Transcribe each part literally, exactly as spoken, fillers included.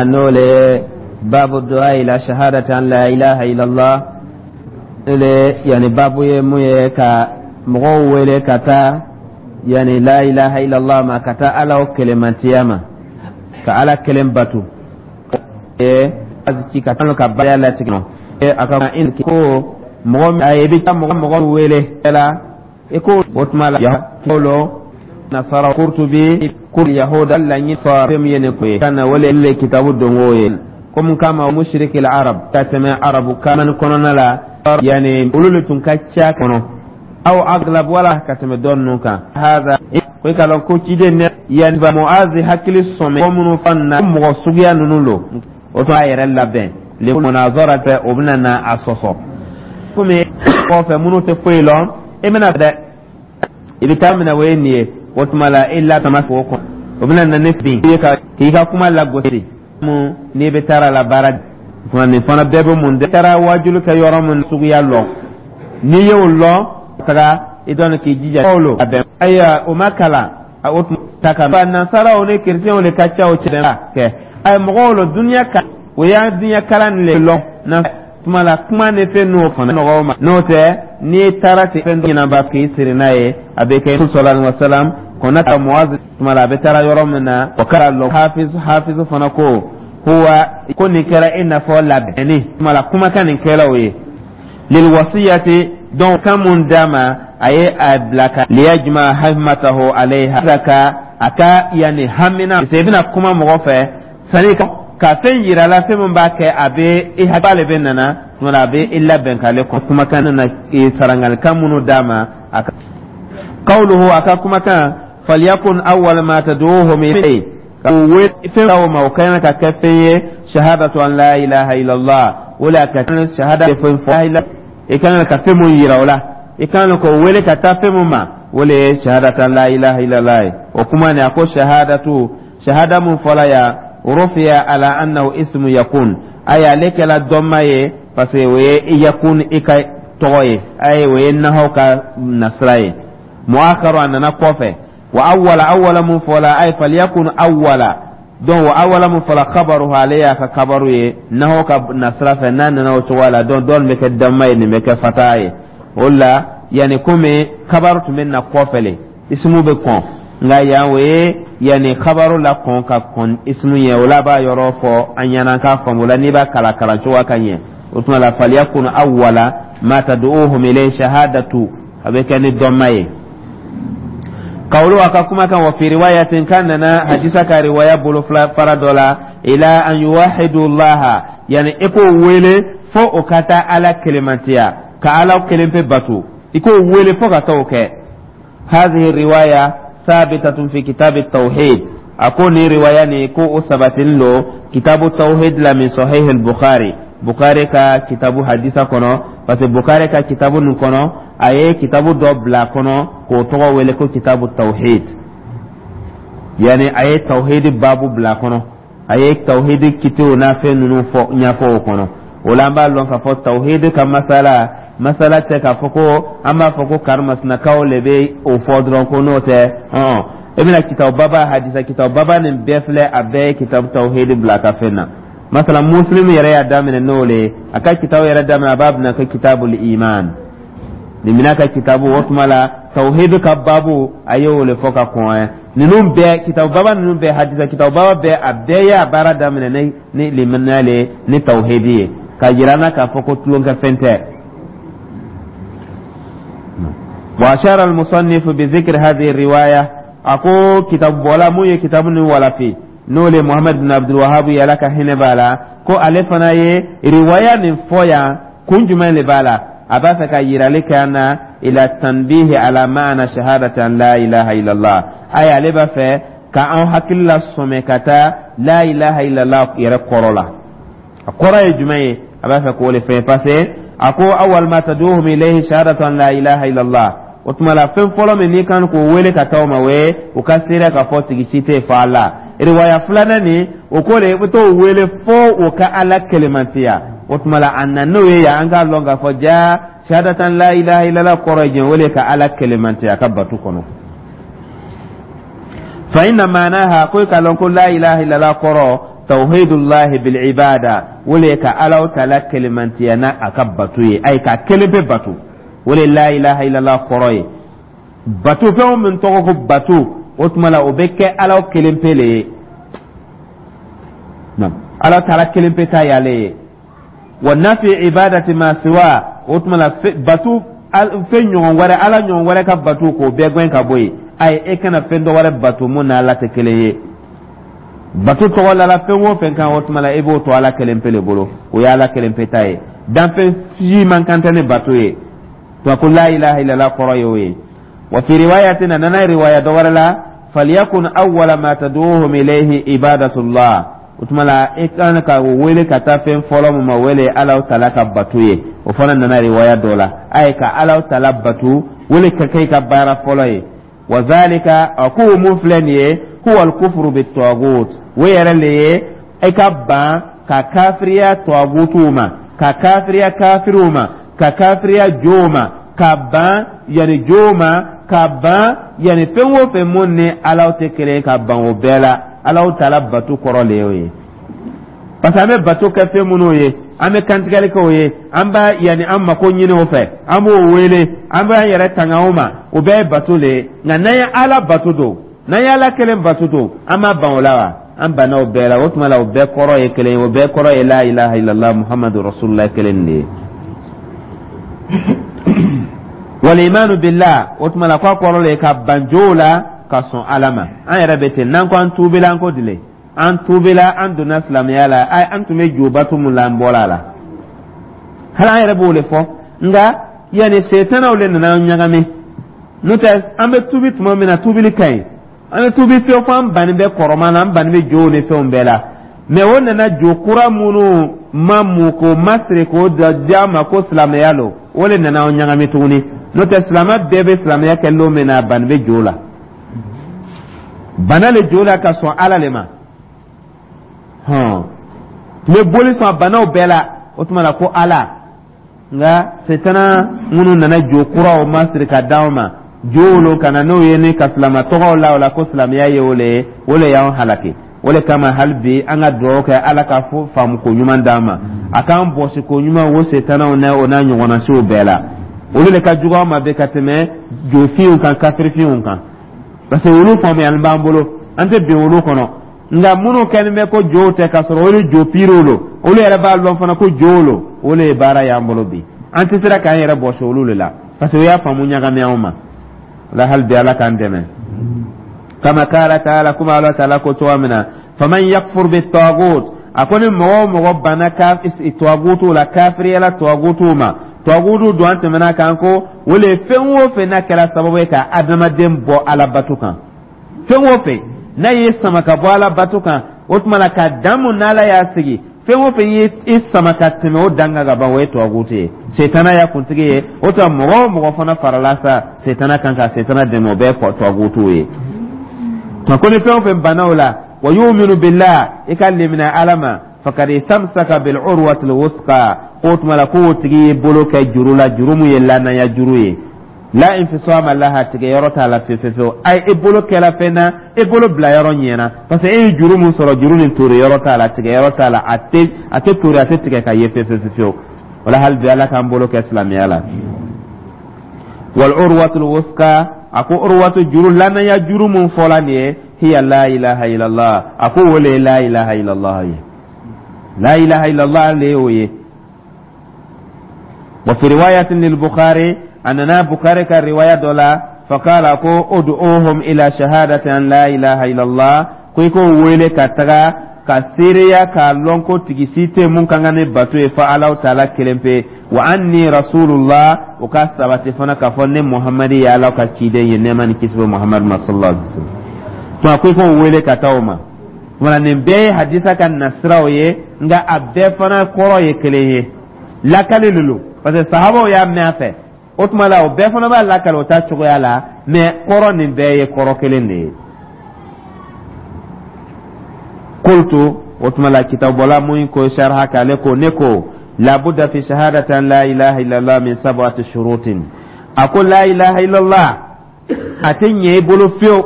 N'o le babu du'a ila shahadati an la ilaha illallah le, yani babu ye mun ye ka mɔgɔw wele ka taa, yani, la ilaha illallah ma, ka taa Ala o kelenmantiya ma, ka Ala kelen batu ci ka ka baya latigɛ a ka ko mɔgɔ a ye bɛ mɔgɔ mɔgɔ wele la i ko o tuma la lo nasara Kurtubi ko yahuda laɲini fɛn min ye nin ko ye ka na wele le kitabu dongo ye komi kama mushrikil arab ka tɛmɛ arabu kaman kɔnɔna la, yani olu le tun ka ca kɔnɔ aw aglab wala ka tɛmɛ dɔ ninnu kan. Hada ko i ka lɔn ko ciden ne yani ba Muazi hakili sɔmɛ ko minnu fan na mɔgɔ suguya ninnu lo, o tun a yɛrɛ labɛn le munazara fɛ, o bɛna na a sɔsɔ komi kɔfɛ minnu tɛ foyi lɔn. E bɛna dɛ, i bɛ taa minɛ o ye nin ye, o tuma la e la tama k'o kɔnɔ, o bɛna na ne bin i ka k'i ka kuma lagosi mun n'i bɛ taara la baara tuma nin fana bɛɛ bɛ mun de taara wajulu kɛ yɔrɔ mun suguya lɔn. N'i y'o lɔn, taga i dɔn k'i jija lo a bɛn. Ayiwa, o ma kalan o tuma ta ka nasaraw ni kerecɛnw de ka ca o cɛ kɛ. Ayi, mɔgɔw lo duniya ka o y'a duniya kalan le lɔn na tuma la kuma ni fɛn n'o fana nɔgɔw ma. N'o tɛ, n'i taara ten fɛn ɲɛnaba k'i siri n'a ye, a bɛ kɛ sallallahu alaihi wasallam kɔnɔ ka Muaz tuma la a bɛ taara yɔrɔ min na, o kɛra lɔ hafiz hafiz fana ko huwa ko nin kɛra i n'a fɔ labɛnni tuma la kumakan nin kɛra o ye lil wasiyati. Donc kan mun d'a ma, a ye a bila ka liyajma himatahu alayha ka a ka yani hamina i bɛna kuma mɔgɔ fɛ sani ka fɛn yira la, fɛn min b'a kɛ a bɛ i hakili bɛ nana tuma a bɛ i labɛn k'ale kɔn kumakan na sarangalikan minnu d'a ma. A ka qawluhu, a ka kumakan falyakun awwal ma tad'uhum ilayhi, fɛn o ma o kan ka kɛ fɛn ye shahadatu an la ilaha illallah, o la ka shahada fɛn fɔ i kan ka fɛn mun yira o la, i kan k'o wele ka taa fɛn mun ma, o le ye shahadatu an la ilaha illallah ye. O kuma nin, a ko shahadatu shahada mun fɔla yan, rufiya ala annahu ismu yakun, ayi, ale kɛla dɔnma ye parce que o ye yakun i ka tɔgɔ ye, ayi, o ye nahaw ka nasira ye, muakharu a nana kɔfɛ. Wa awwala awwala mun fɔla, ay falyakun awwala, donc wa awwala mun fɔla khabaruhu, ale y'a ka kabaru ye nahaw ka nasira fɛ. N'a nana o cogo la, donc dɔɔni bɛ kɛ damma ye, nin bɛ kɛ fata ye. O la yanni komi kabaru tun bɛ na kɔfɛ le, ismu bɛ kɔn, nka yan o ye yanni kabaru la kɔn ka kɔn ismu ye. O la a b'a yɔrɔ fɔ an ɲɛna k'a faamu o la n'i b'a kalan kalan cogoya ka ɲɛ. O tuma la falyakun awwala ma tad'uhum ilayhi shahadatu, a bɛ kɛ ni dɔnma ye. Kawulu a ka kuma kan, wa fi riwayatin kan nana hadisa ka riwaya bolo fara dɔ la ila an yuwahidu llaha, yani i k'o wele fo o ka taa Ala kelenmantiya, ka Ala kelen pe bato, i k'o wele fo ka taa o kɛ. Hadhihi riwaya sabitatun fi kitabi tawhid, a ko ni riwaya ni ko o sabatinin lo kitabu tawhid la min sahih al-Bukhari, Bukhari ka kitabu hadisa kɔnɔ, parce que Bukhari ka kitabu nin kɔnɔ, a ye kitabu dɔ bila kɔnɔ k'o tɔgɔ wele ko kitabu tawhid, yani a ye tawhid babu bila kɔnɔ, a ye tawhid kitew n'a fɛn ninnu fɔ ɲɛfɔ o kɔnɔ. O la an b'a lɔn k'a fɔ tawhid ka masala masala tɛ k'a fɔ ko an b'a fɔ ko karimasinakaw le bɛ o fɔ dɔrɔn ko n'o tɛ ɔn i bɛna kitabu baba hadisa kitabu baba nin bɛɛ filɛ, a bɛɛ ye kitabu tawhid bila ka fɛn na. Masala Muslim yɛrɛ y'a daminɛ n'o le ye, a ka kitabu yɛrɛ daminɛ, a b'a bila ko kitabul iman nin mina ka kitabu. O tuma la tawhid ka babu a ye o le fɔ ka kɔn ninnu bɛɛ, kitabu baba ninnu bɛɛ, hadisa kitabu baba bɛɛ, a bɛɛ y'a baara daminɛ ni ni limaniya le ni tawhidi ye, ka yira n na k'a fɔ ko tulonkɛ fɛn tɛ. وأشار المصنف بذكر هذه الرواية، أكو كتاب ولا مو كتاب ولا في n'o Muhammad bin Abdul Wahhab yala ka hinɛ b'a la, ko ale fana ye riwaya nin fɔ yan, kun jumɛn de b'a la? A b'a fɛ ka yirali kɛ an na ila tanbihi ala ma'ana shahadati an la ilaha illallah, ayi, ale b'a fɛ ka an hakili la sɔmɛ ka taa la ilaha illallah yɛrɛ kɔrɔ la, a kɔrɔ ye jumɛn ye, a b'a fɛ k'o de fɛn, parce que a ko awwal ma tad'uhum ilayhi shahadatu an la ilaha illallah. O tuma la fɛn fɔlɔ min n'i kan k'o wele ka taa o ma, o ye u ka seereya k'a fɔ tigi si tɛ yen fo Ala. Riwaya filanan nin, o ko de i bɛ t'o wele fo o ka Ala kelemantiya. O tuma la a na n'o ye yan, an k'a lɔn k'a fɔ ja shahadatan la ilaha illallah kɔrɔ ye jɛn, o de ka Ala kelemantiya a ka batu kɔnɔ. Fa inna maanaha, ko i k'a lɔn ko la ilaha illallah kɔrɔ Tawhidullahi bil ibada, o le ka Alaw Taala kelemantiya n'a a ka bato ye, ayi, ka kelen pe bato, o le la ilaha illallah kɔrɔ ye. Bato fɛn o min tɔgɔ ko bato, o tuma la o bɛ kɛ Alaw kelen pe le ye. Ala Taala kelen pe ta y'ale ye. Wa nafi ibadati ma siwa, o tuma la bato fɛn ɲɔgɔn wɛrɛ, Ala ɲɔgɔn wɛrɛ ka bato, k'o bɛɛ gɛn ka bɔ yen. Ayi, e kana fɛn dɔ wɛrɛ bato mun n'Ala tɛ kelen ye. Bato tɔgɔ la fɛn o fɛn kan, o tuma la e b'o to Ala kelen pe le bolo, o ye Ala kelen pe ta ye. Danfɛn si man kan tɛ ni bato ye. To ko la ilaha illallah kɔrɔ ye o ye. Wa fi riwayatin, a nana riwaya dɔ wɛrɛ la, falyakun awwala ma tad'uhum ilayhi ibadatullah. O tuma la e kan ka wele ka taa fɛn fɔlɔ mun ma, wele Ala Taala ka bato ye. O fana nana riwaya dɔ la, a ye ka Ala Taala bato wele ka kɛ i ka baara fɔlɔ ye. Wa zalika, a ko mun filɛ nin ye, huwa al-kufru bit-taghut, o yɛrɛ le ye e ka ban ka kafiriya tɔgutuw ma, ka kafiriya kafiriw ma, ka kafiriya jow ma, ka ban yanni jow ma, ka ban yanni fɛn o fɛn mun ni Alaw tɛ kelen, ka ban o bɛɛ la. Alaw Taala bato kɔrɔ le y'o ye, parce que an bɛ bato kɛ fɛn minnu ye, an bɛ kantigɛli kɛ o ye, an b'a yanni an mako ɲini o fɛ, an b'o wele, an b'an yɛrɛ tanga o ma, o bɛɛ ye bato le ye. Nka n'an ye Ala bato don, n'an ye Ala kelen bato don, an b'a ban o la wa? An banna o bɛɛ la. O tuma la o bɛɛ kɔrɔ ye kelen ye, o bɛɛ kɔrɔ ye la ilaha illallah Muhammadu rasulullah kelen de ye. Wal imanu billah, o tuma la k'a kɔrɔ le ye ka ban jow la ka sɔn Ala ma. An yɛrɛ bɛ ten, n'an ko an tuubila, an ko dile an tuubila, an donna silamɛya la, an tun bɛ jo bato mun la, an bɔra a la. Hali an yɛrɛ b'o de fɔ, nka yanni setanaw de nana an ɲagami. N'o tɛ, an bɛ tuubi tuma min na, tuubili ka ɲi, an bɛ tuubi fiyewu fo an banni bɛ kɔrɔman na, an banni bɛ jow ni fɛnw bɛɛ la. Mɛ o nana jo kura minnu ma mun k'o masiri k'o di an ma ko silamɛya lo, o de nana an ɲagami tuguni. N'o tɛ, silamɛ bɛɛ bɛ silamɛya kɛ lon min na, a banni bɛ jo la, bana le jo la ka sɔn Ala le ma. Hɔn tun bɛ boli sɔn banaw bɛɛ la, o tuma la ko Ala. Nka setana minnu nana jo kuraw masiri ka d'anw ma, jow lo ka na n'o ye ni ka silama tɔgɔw la o la ko silamɛya ye o le ye, o le y'anw halaki. O le kama hali bi an ka dugawu kɛ Ala ka fo faamuko ɲuman d'an ma, a k'an bɔsi ko ɲuman o setanaw n'a o n'a ɲɔgɔnnasiw bɛɛ la. Olu de ka jugu an ma bi ka tɛmɛ jofinw kan, kafirifinw kan, parce que olu faamuyali b'an bolo, an tɛ bin olu kɔnɔ. Nka minnu kɛlen bɛ ko jow tɛ, k'a sɔrɔ olu jo piiriw lo, olu yɛrɛ b'a lɔn fana ko jow lo, o le ye baara y'an bolo bi. An tɛ sera k'an yɛrɛ bɔsi olu de la, parce que o y'a faamu ɲagami anw ma la. Hali bi Ala k'an dɛmɛ. Kama kala taala, kuma Ala Taala ko cogoya min na, faman yakfur bi tagut, a ko ni mɔgɔ o mɔgɔ banna tagutu la, kafiriyala tagutu ma, tagutu don, an tɛmɛna kan ko o le fɛn o fɛn n'a kɛra sababu ye ka adamaden bɔ Ala bato kan, fɛn o fɛn n'a y'i sama ka bɔ Ala bato kan, o tuma la ka dan mun n'Ala y'a sigi, fɛn o fɛn ye i sama ka tɛmɛ o dan kan ka ban, o ye tagutu ye, setana y'a kuntigi ye. O tuma mɔgɔ o mɔgɔ fana farala sa setana kan ka setana dɛmɛ, o bɛɛ ye tagutu ye. Ko ni fɛn o fɛn banna o la, wa yuminu billah, i ka limina Ala ma, fakad istamsaka bil urwatil wusqa, k'o tuma la k'o tigi y'i bolo kɛ juru la, juru mun ye lanaya juru ye, la infisama laha, tigɛ yɔrɔ t'a la fewu fewu. Ayi, i bolo kɛla fɛn na, i bolo bila yɔrɔ ɲɛna, parce que e ye juru mun sɔrɔ, juru nin tori yɔrɔ t'a la, tigɛ yɔrɔ t'a la, a tɛ a tɛ tori, a tɛ tigɛ ka ye fewu fewu fewu. Wala hali bi Ala k'an bolo kɛ silamɛya la. Wal urwatul wusqa, a ko urwatu juru, lanaya juru mun fɔla nin ye, hiya la ilaha illallah, a ko o le ye la ilaha illallah ye, la ilaha illallah le y'o ye. Wa fi riwayatin lil Bukhari, a nana Bukhari ka riwaya dɔ la, faqala, ko ud'uhum ila shahadati an la ilaha illallah, ko i k'o wele ka taga ka seereya k'a lɔn ko tigi si tɛ mun kan ka ni bato ye fo Alahu Taala kelen pe, wa anni rasulullah, o ka sabati fana k'a fɔ ne Muhamadi ye Ala ka ciden ye, nɛɛma ni kisi bɛ Muhamadu ma sallallahu alaihi wa sallam. To a ko i k'o wele ka taa o ma. Wala nin bɛɛ ye hadisa ka nasiraw ye, nka a bɛɛ fana kɔrɔ ye kelen ye, lakali de don, parce que sahabaw y'a mɛn a fɛ. O tuma la o bɛɛ fana b'a lakali o ta cogoya la, mais kɔrɔ nin bɛɛ ye kɔrɔ kelen de ye. Qultu, o tuma la kitabɔla mun ko sharha k'ale ko ne ko labuda fi shahadati an la ilaha illallah min sab'ati shurutin, a ko la ilaha illallah a tɛ ɲɛ i bolo fiyewu,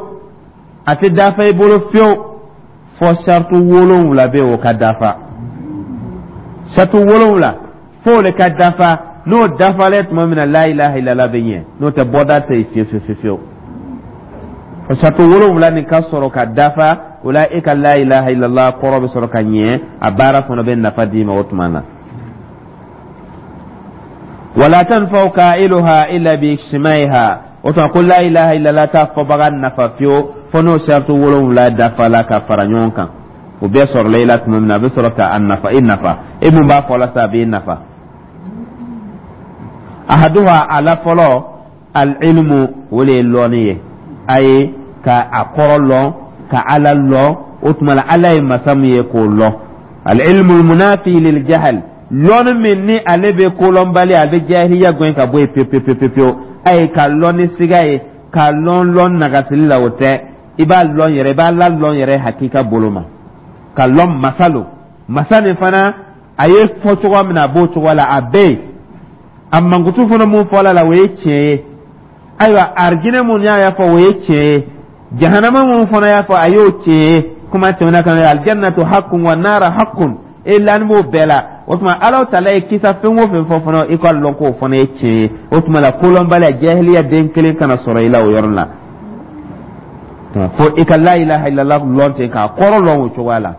a tɛ dafa i bolo fiyewu. Fo sartu wolonwula bɛ o ka dafa, sartu wolonwula fo le ka dafa. N'o dafalen tuma min na, la ilaha illallah bɛ ɲɛ. N'o tɛ, bɔda tɛ yen fiyewu fiyewu fiyewu. Fo sartu wolonwula nin ka sɔrɔ ka dafa, o la e ka la ilaha illallah kɔrɔ bɛ sɔrɔ ka ɲɛ, a baara fana bɛ nafa d'i ma o tuma na. Wala tanfa'u qailuha illa bi ijtimaiha. O tuma ko la ilaha illallah t'a fɔbaga nafa fiyewu fo n'o sartu wolonwula dafala ka fara ɲɔgɔn kan. O bɛɛ sɔrɔla i la tuma min na, a bɛ sɔrɔ ka a nafa, i nafa. E mun b'a fɔ la sa, a b'i nafa. Ahaduha, a la fɔlɔ, al-ilmu, o de ye lɔnni ye. A ye ka a kɔrɔ lɔn, ka Ala lɔn. O tuma la, Ala ye masa min ye, k'o lɔn. Al-ilmu al-munafi lil jahl, lɔnni min ni ale bɛ kolɔnbali, a bɛ jahiliya gɛn ka bɔ yen pewu pewu pewu pewu. A ye ka lɔn ni siga ye, ka lɔn lɔn nagasili la, o tɛ. I b'a lɔn yɛrɛ, i b'a la lɔn yɛrɛ hakika bolo ma, ka lɔn masa lo. Masa nin fana, a ye fɔ cogoya min na, a b'o cogoya la, a bɛ yen. A mankutu fana mun fɔla la, o ye tiɲɛ ye. Ayiwa, arijinɛ mun y'a fɔ, o ye tiɲɛ ye. Jahanama mun fana y'a fɔ, a y'o tiɲɛ ye. Kuma tɛmɛna kan, aljannatu haqqun wa nara haqqun, e lani b'o bɛɛ la. O tuma, Ala taala ye kisa fɛn o fɛn fɔ fana, i ka lɔn k'o fana ye tiɲɛ ye. O tuma la, kolɔnbaliya, jahiliya den kelen kana sɔrɔ i la o yɔrɔ la. Fo i ka la ilaha illallah lɔn ten, k'a kɔrɔ lɔn o cogoya la,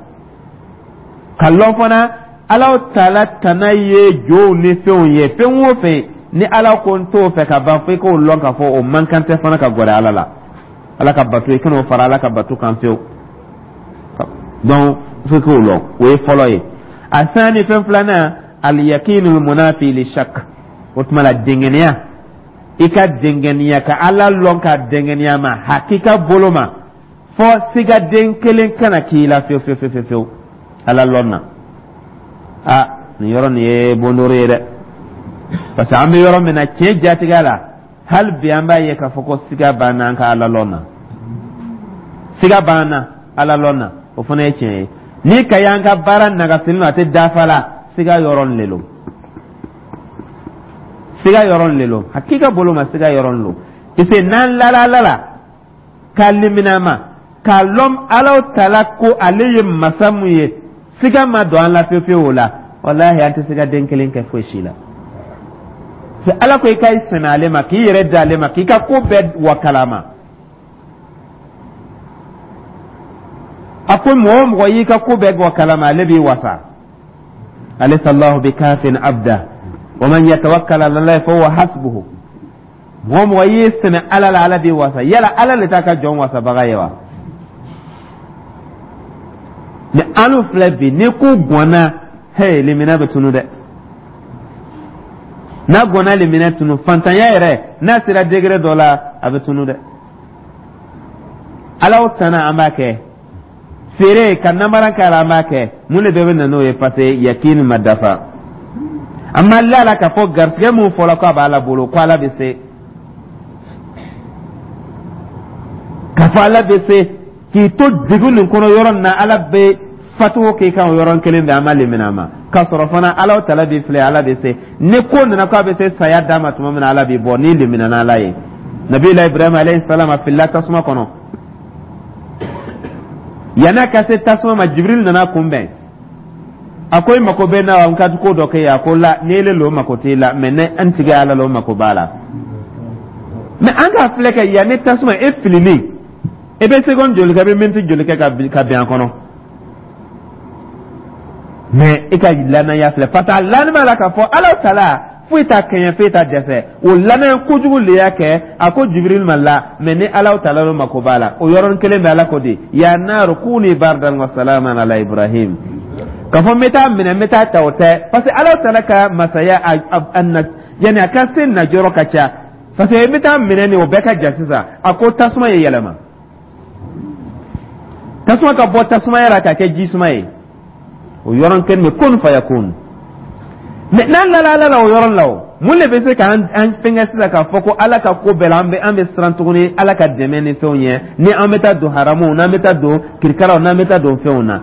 ka lɔn fana Ala taala tana ye jow ni fɛnw ye. Fɛn o fɛn ni Ala ko n t'o fɛ ka ban, fo i k'o lɔn k'a fɔ o man kan tɛ fana ka gɛrɛ Ala la. Ala ka bato, i kan'o fara Ala ka bato kan fiyewu. Donc fo i k'o lɔn, o ye fɔlɔ ye. A sani, fɛn filanan, al-yaqinu munafi li shak. O tuma la, dɛngɛniya, i ka dɛngɛniya ka Ala lɔn, ka dɛngɛniya ma hakika bolo ma, fɔ sigaden kelen kana k'i la fiyewu fiyewu fiyewu fiyewu Ala lɔn na. A nin yɔrɔ nin ye bondoro ye dɛ, parce que an bɛ yɔrɔ min na, tiɲɛ jatigɛ la, hali bi an b'a ye k'a fɔ ko siga b'an na an ka Ala lɔn na, siga b'an na Ala lɔn na. O fana ye tiɲɛ ye. Ni ka y'an ka baara nagasili a tɛ dafa la, siga yɔrɔ le lo, siga yɔrɔ le lo, hakika bolo ma, siga yɔrɔ lo. Parce que n'an lala Ala la, k'a limina ma, k'a lɔn Ala taala ko ale ye masa mun ye, siga ma don an la fiyewu fiyewu o la, walahi, an tɛ se ka den kelen kɛ foyi si la. Ala ko i ka i sɛmɛ ale ma, k'i yɛrɛ di ale ma, k'i ka ko bɛɛ wakala ma. A ko mɔgɔ o mɔgɔ y'i ka ko bɛɛ wakala ma, ale b'i wasa. Alaysa Allahu bikafin abda wa man yatawakkal ala Allahi fa huwa hasbuhu. Mɔgɔ o mɔgɔ y'i sɛmɛ Ala la, Ala b'i wasa. Yala Ala le t'a ka jɔn wasabaga ye wa? Ni anu filɛ bi, ni ko gɔnna, hey, limina bɛ tunu dɛ. N'a gɔnna, limina tunu. Fantanya yɛrɛ, n'a sera degré dɔ la, a bɛ tunu dɛ. Ala o tana, an b'a kɛ feere ka namara k'a la, an b'a kɛ. Mun de bɛɛ bɛ na n'o ye? Parce que yakini ma dafa. An ma la la k'a fɔ garisɛgɛ mun fɔla ko a b'Ala bolo, ko Ala bɛ se k'a fɔ Ala bɛ se k'i to degun nin kɔnɔ yɔrɔ min na, Ala bɛ fatuwo k'i kan o yɔrɔ kelen bɛɛ. An ma lemina ma k'a sɔrɔ fana Ala tala b'i filɛ, Ala bɛ se. Ni ko nana k'a bɛ se saya d'a ma tuma min na, Ala b'i bɔ n'i lemina n'Ala ye. Nabila Ibrahima alayhi salam, a filila tasuma kɔnɔ. Yan'a ka se tasuma ma, Jibril nana kunbɛn. A ko: i mako bɛ na wa? N ka ko dɔ kɛ ye. A ko: la, ni ele lo, mako t'i la, mɛ ne an tigi Ala la, o mako b'a la. Mɛ an k'a filɛ kɛ, yanni tasuma e filili, e bɛ seconde joli kɛ, e bɛ miniti joli kɛ ka bɛn a kɔnɔ? Mɛ e ka lanaya filɛ, parce que a lani b'a la k'a fɔ Ala tala foyi t'a kɛɲɛ, foyi t'a dɛsɛ. O lanaya kojugu le y'a kɛ a ko Jibril ma: la, mɛ ni Ala tala lo mako b'a la. O yɔrɔnin kelen bɛ, Ala ko di: ya naru kuni bardan wa salaman ala Ibrahim. K'a fɔ n bɛ taa minɛ, n bɛ taa ta, o tɛ, parce que Ala tala ka masaya a na, yanni a ka se najɔrɔ ka ca, parce que n bɛ taa minɛ nin, o bɛɛ ka ja sisan. A ko tasuma ye yɛlɛma, tasuma ka bɔ tasumaya la ka kɛ ji suma ye o yɔrɔnin kelen bɛ, kun fayakun. Mɛ n'an lala Ala la o yɔrɔ la, o mun de bɛ se k'an an fɛnkɛ sisan k'a fɔ ko Ala ka ko bɛɛ la, an bɛ an bɛ siran tuguni Ala ka dɛmɛ ni fɛnw ye, ni an bɛ taa don haramuw, n'an bɛ taa don kirikaraw, n'an bɛ taa don fɛnw na?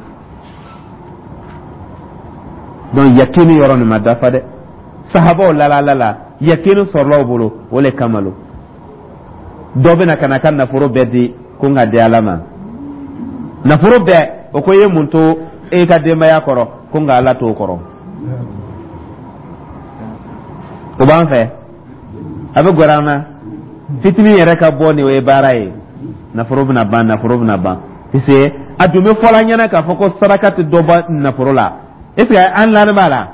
Donc yakini yɔrɔ nin ma dafa dɛ. Sahabaw lala Ala la, yakini sɔrɔla u bolo, o le kama lo dɔ bɛna ka na ka nafolo bɛɛ di ko n ka di Ala ma, nafolo bɛɛ. O ko i ye mun to e ka denbaya kɔrɔ? Ko nka Ala t'o kɔrɔ. O b'an fɛ, a bɛ gɛrɛ an na. Fitinin yɛrɛ ka bɔ nin, o ye baara ye. Nafolo bɛna ban, nafolo bɛna ban, puisque a dun bɛ fɔla ɲɛna k'a fɔ ko saraka tɛ dɔ bɔ nafolo la. Est ce que an lani b'a la?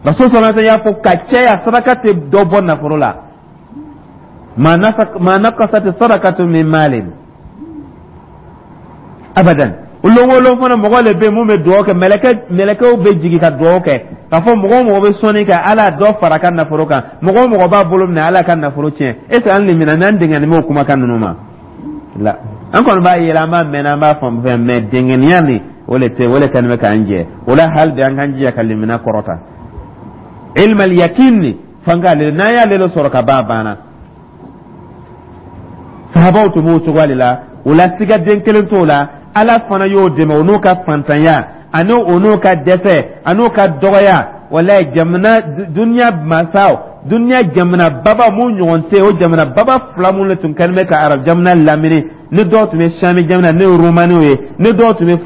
Rasul sallallahu alaihi wasallam y'a fɔ ka caya, saraka tɛ dɔ bɔ nafolo la. Ma naqasat sadaqatu min malin abadan. Lon o lon fana, mɔgɔ le bɛ yen mun bɛ dugawu kɛ, mɛlɛkɛ mɛlɛkɛw bɛ jigin ka dugawu kɛ k'a fɔ mɔgɔ o mɔgɔ bɛ sɔnni kɛ, Ala dɔ fara ka nafolo kan. Mɔgɔ o mɔgɔ b'a bolo minɛ, Ala ka nafolo tiɲɛ. Est ce que an limina n'an dɛngɛni b'o kumakan ninnu ma la? An kɔni b'a yɛlɛ, an b'a mɛn, an b'a faamu fɛn, mais dɛngɛniya nin, o le tɛ, o le kɛlen bɛ k'an jɛ o la. Hali bi an k'an jija ka limina kɔrɔta, ilmal yakin ni fan k'ale, n'an y'ale le sɔrɔ ka ban, a banna. Sahabaw tun b'o cogoya de la. O la, sigaden kelen t'o la. Ala fana y'o dɛmɛ, o n'o ka fantanya ani o n'o ka dɛsɛ ani o ka dɔgɔya. Walayi, jamana duniya masaw, duniya jamana baba mun ɲɔgɔn tɛ, o jamana baba fila mun de tun kɛlen bɛ ka arab jamana lamini, ni dɔw tun bɛ Sami jamana, n'o ye Romaniw ye, ni dɔw tun bɛ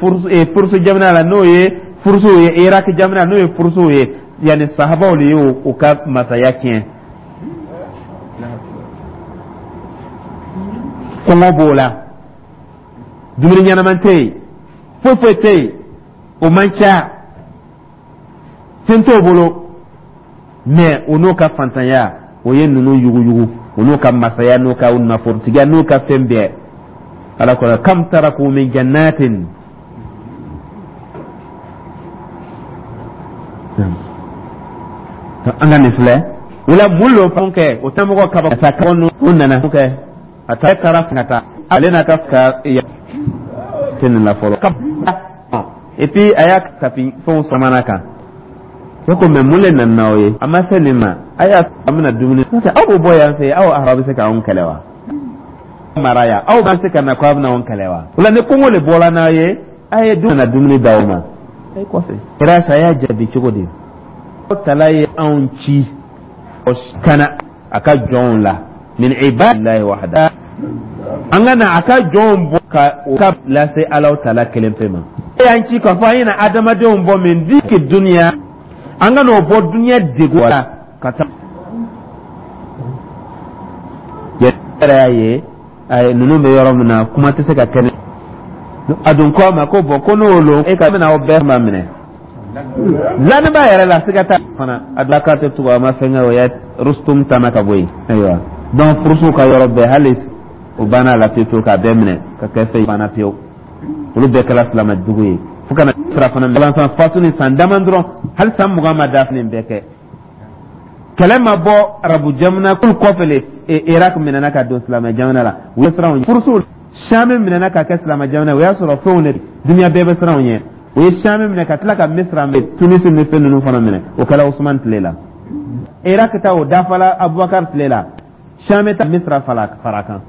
Furusu jamana la, n'o ye Furusuw ye, Irak jamana, n'o ye Furusuw ye, yanni sahabaw de y'o ka masaya tiɲɛ. Kɔngɔ b'o la, dumuni ɲɛnaman tɛ yen, foyi foyi tɛ yen, o man ca, fɛn t'o bolo, mais o n'o ka fantanya, o ye ninnu yuguyugu, o n'o ka masaya, n'o ka nafolotigiya, n'o ka fɛn bɛɛ. Ala ko kam taraku min jannatin. An ka nin filɛ o la, mun lo fɛn kɛ o tɛ mɔgɔ kaba sa kaba o nana kɛ a ta taara ka taa ale n'a ka ka tɛ nin la fɔlɔ. Et puis a y'a tapi fɛnw samana kan ne ko, mais mun le nana n'aw ye? A ma se nin ma, a y'a an bɛna dumuni, aw b'o bɔ yan fɛ, aw arabu bɛ se k'anw kɛlɛ wa? Mara yan, aw bɛ se ka na ko a bɛna anw kɛlɛ wa? O la, ni kɔngɔ le bɔra n'a ye, a ye dun na dumuni d'aw ma. A ye kɔfɛ kɛra sa, a y'a jaabi cogo di? Aw tala ye anw ci kana a ka jɔnw la min ibadillahi wahda, an ka na a ka jɔnw bɔ ka o ka lase Alaw tala kelen pe ma. E y'an ci k'a fɔ an ye na adamadenw bɔ min diki duniya, an ka n'o bɔ duniya degun la ka taa. Yɛrɛ y'a ye, ayi, ninnu bɛ yɔrɔ min na, kuma tɛ se ka kɛ. A dun ko a ma ko bɔn, ko n'o lo, e ka bɛna aw bɛɛ ma minɛ laniba yɛrɛ la, siga t'a fana. A dila k'a tɛ tugu, a ma fɛn kɛ, o ye Rustum tana ka bɔ yen. Ayiwa, donc furusow ka yɔrɔ bɛɛ, hali o banna a la pewu pewu, k'a bɛɛ minɛ ka kɛ fɛn banna pewu. Olu bɛɛ kɛra silamɛ dugu ye fo ka na sira fana balansan faso ni san dama dɔrɔn, hali san mugan ma dafa, nin bɛɛ kɛ kɛlɛ ma bɔ arabu jamana kulu kɔfɛ le. Irak minɛna ka don silamɛ jamana la, u ye siran ɲɛ. Furusow Sami minɛna ka kɛ silamɛ jamana, o y'a sɔrɔ fɛnw de duniya bɛɛ bɛ siran ɲɛ. O ye Sami minɛ ka tila ka Misira minɛ, Tunisi ni fɛn ninnu fana minɛ, o kɛra Usman tile la. Irak ta, o dafala Abubakar tile la. Sami ta, Misira fara kan.